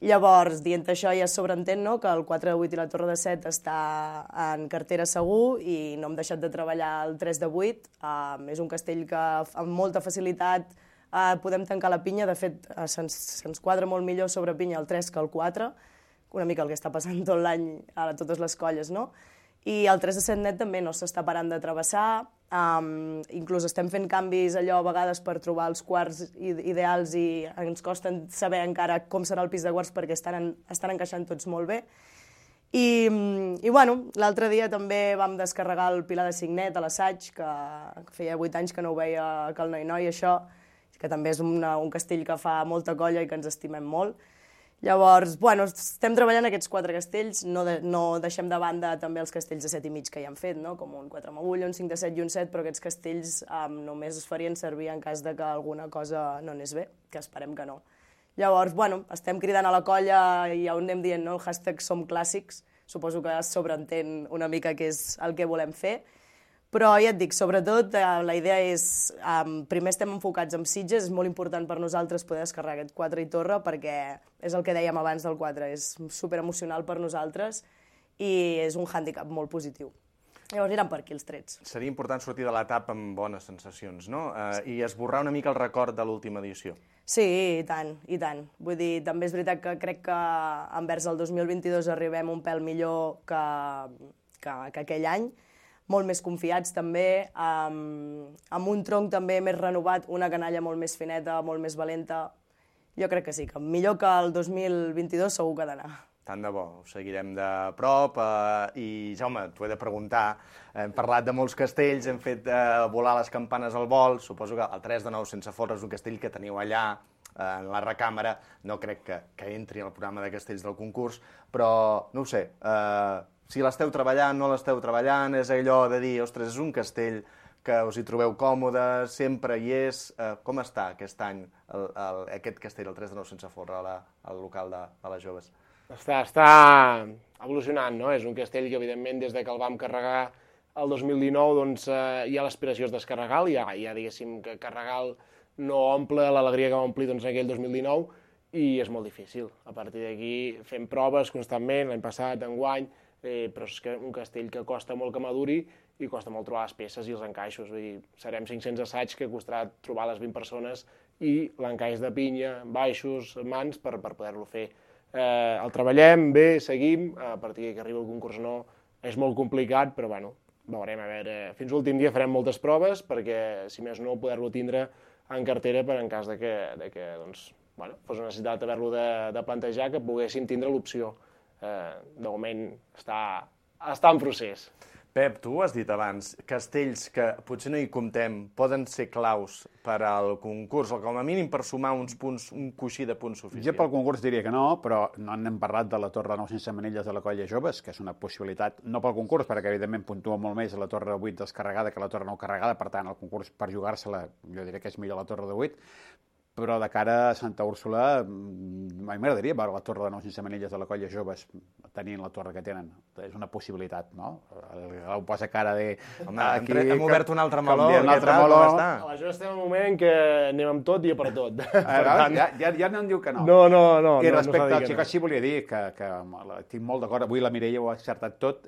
S12: Llavors, dient això, ja sobreentén que el 4 de 8 i la torre de 7 està en cartera segur i no hem deixat de treballar el 3 de 8. És un castell que amb molta facilitat podem tancar la pinya. De fet, se'ns quadra molt millor sobre pinya el 3 que el 4, una mica el que està passant tot l'any a totes les colles, no? I el 3 de 7 net també no s'està parant de travessar, inclús estem fent canvis allò a vegades per trobar els quarts ideals i ens costa saber encara com serà el pis de quarts perquè estan encaixant tots molt bé. I l'altre dia també vam descarregar el Pilar de Signet a l'assaig, que feia 8 anys que no ho veia que el Noi-Noi, això, que també és un castell que fa molta colla i que ens estimem molt. Llavors, bueno, estem treballant aquests 4 castells, no deixem de banda també els castells de 7,5 que ja han fet, no? Com un 4 amb agulla, un 5 de 7 i un 7, però aquests castells només es farien servir en cas de que alguna cosa no anés bé, que esperem que no. Llavors, bueno, estem cridant a la colla i ja ho anem dient, no? El hashtag Som Clàssics, suposo que es sobreentén una mica què és el que volem fer, però ja et dic, sobretot la idea és, primer estem enfocats en Sitges, és molt important per nosaltres poder descarregar aquest 4 i Torre perquè és el que dèiem abans del 4, és superemocional per nosaltres i és un hàndicap molt positiu. Llavors aniran per aquí els trets.
S14: Seria important sortir de l'etapa amb bones sensacions, no? I esborrar una mica el record de l'última edició.
S12: Sí, i tant, i tant. Vull dir, també és veritat que crec que envers el 2022 arribem un pèl millor que aquell any, molt més confiats també, amb un tronc també més renovat, una canalla molt més fineta, molt més valenta. Jo crec que sí, que millor que el 2022 segur que ha d'anar.
S14: Tant de bo, ho seguirem de prop i, Jaume, t'ho he de preguntar, hem parlat de molts castells, hem fet volar les campanes al vol, suposo que el 3 de 9 sense folre és un castell que teniu allà, en la recàmera, no crec que entri al programa de castells del concurs, però no ho sé, si l'esteu treballant, no l'esteu treballant, és allò de dir, ostres, és un castell que us hi trobeu còmodes, sempre hi és. Com està aquest any aquest castell, el 3 de 9 sense folre, al local de les joves?
S13: Està evolucionant, no? És un castell que, evidentment, des que el vam carregar el 2019, doncs hi ha l'aspiració de descarregar-lo, ja diguéssim que carregar-lo no omple l'alegria que va omplir en aquell 2019 i és molt difícil. A partir d'aquí fem proves constantment, l'any passat, enguany, però és que un castell que costa molt que maduri i costa molt trobar les peces i els encaixos. Vull dir, serem 500 assaigs que costarà trobar les 20 persones i l'encaix de pinya, baixos, mans, per poder-lo fer. El treballem bé, seguim, a partir que arriba el concurs no, és molt complicat, però bueno, veurem, a veure, fins l'últim dia farem moltes proves perquè, si més no, poder-lo tindre en cartera per en cas de que doncs, bueno, fos una necessitat haver-lo de plantejar, que poguéssim tindre l'opció. De moment està en procés.
S14: Pep, tu ho has dit abans, castells que potser no hi comptem poden ser claus per al concurs, o com a mínim per sumar uns punts, un coixí de punts suficient.
S1: Jo pel concurs diria que no, però no n'hem parlat de la Torre 9 sense manilles de la Colla Joves, que és una possibilitat, no pel concurs, perquè evidentment puntua molt més la Torre 8 descarregada que la Torre 9 carregada, per tant el concurs per jugar-se-la jo diria que és millor la Torre de 8, però de cara a Santa Úrsula, a mi m'agradaria veure la Torre de 9 sense manilles de la Colla Joves tenint la torre que tenen. És una possibilitat, no? Ho posa cara de...
S14: Home, hem obert un altre meló.
S1: Un altre meló.
S13: A la Joves estem en un moment que anem amb tot i a per tot.
S1: Ja no em diu que no.
S13: No.
S1: I respecte al Xico, sí volia dir que tinc molt d'acord. Avui la Mireia ho ha accertat tot.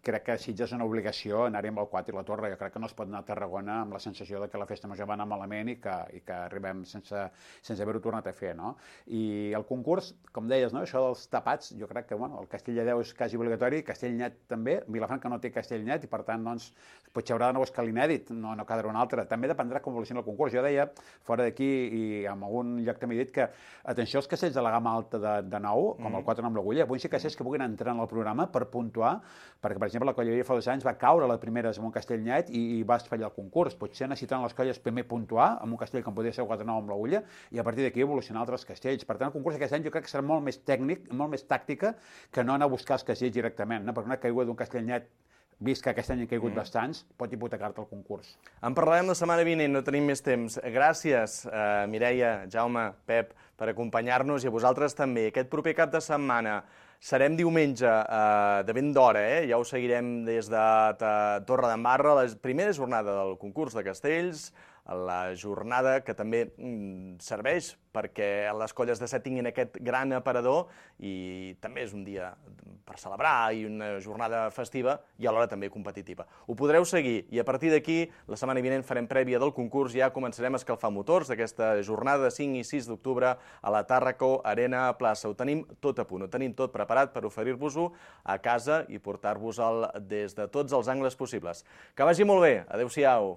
S1: Crec que Sitges és una obligació anar-hi amb el 4 i la torre. Jo crec que no es pot anar a Tarragona amb la sensació que la festa major va anar malament i que arribem sense haver-ho tornat a fer, no? I el concurs, com deies, no? Això dels tapats, jo crec que el Castell de Déu és quasi obligatori, Castellnet també, Vilafranca no té Castellnet i per tant, doncs, potser haurà de nou escal inèdit, no quedarà un altre. També dependrà com evolucioni el concurs. Jo deia, fora d'aquí i en algun lloc també he dit que, atenció als castells de la gamma alta de nou, com el 4 amb l'agulla, puguin ser castells que puguin entrar en el programa per puntuar, perquè, per exemple, la Colleria fa 2 anys va caure a la primera amb un Castellnet i va fallar el concurs. Potser necessitaran les colles primer puntuar amb un castell com podria ser el 4-9 amb l'agulla i a partir d'aquí evolucionar altres castells. Per tant, el concurs aquest any jo crec que serà molt més tècnic, molt més tàctica, que no anar a buscar els castells directament, no? Perquè una caiguda d'un Castellnet, vist que aquest any han caigut bastants, pot hipotecar-te el concurs.
S14: En parlarem la setmana vinent, no tenim més temps. Gràcies, Mireia, Jaume, Pep, per acompanyar-nos i a vosaltres també. Aquest proper cap de setmana serem diumenge de ben d'hora, ja ho seguirem des de Torredembarra, la primera jornada del concurs de castells, la jornada que també serveix perquè les colles de set tinguin aquest gran aparador i també és un dia per celebrar i una jornada festiva i alhora també competitiva. Ho podreu seguir i a partir d'aquí, la setmana vinent farem prèvia del concurs, ja començarem a escalfar motors d'aquesta jornada de 5 i 6 d'octubre a la Tàrraco Arena Plaça. Ho tenim tot a punt, ho tenim tot preparat per oferir-vos-ho a casa i portar-vos-el des de tots els angles possibles. Que vagi molt bé, adeu-siau.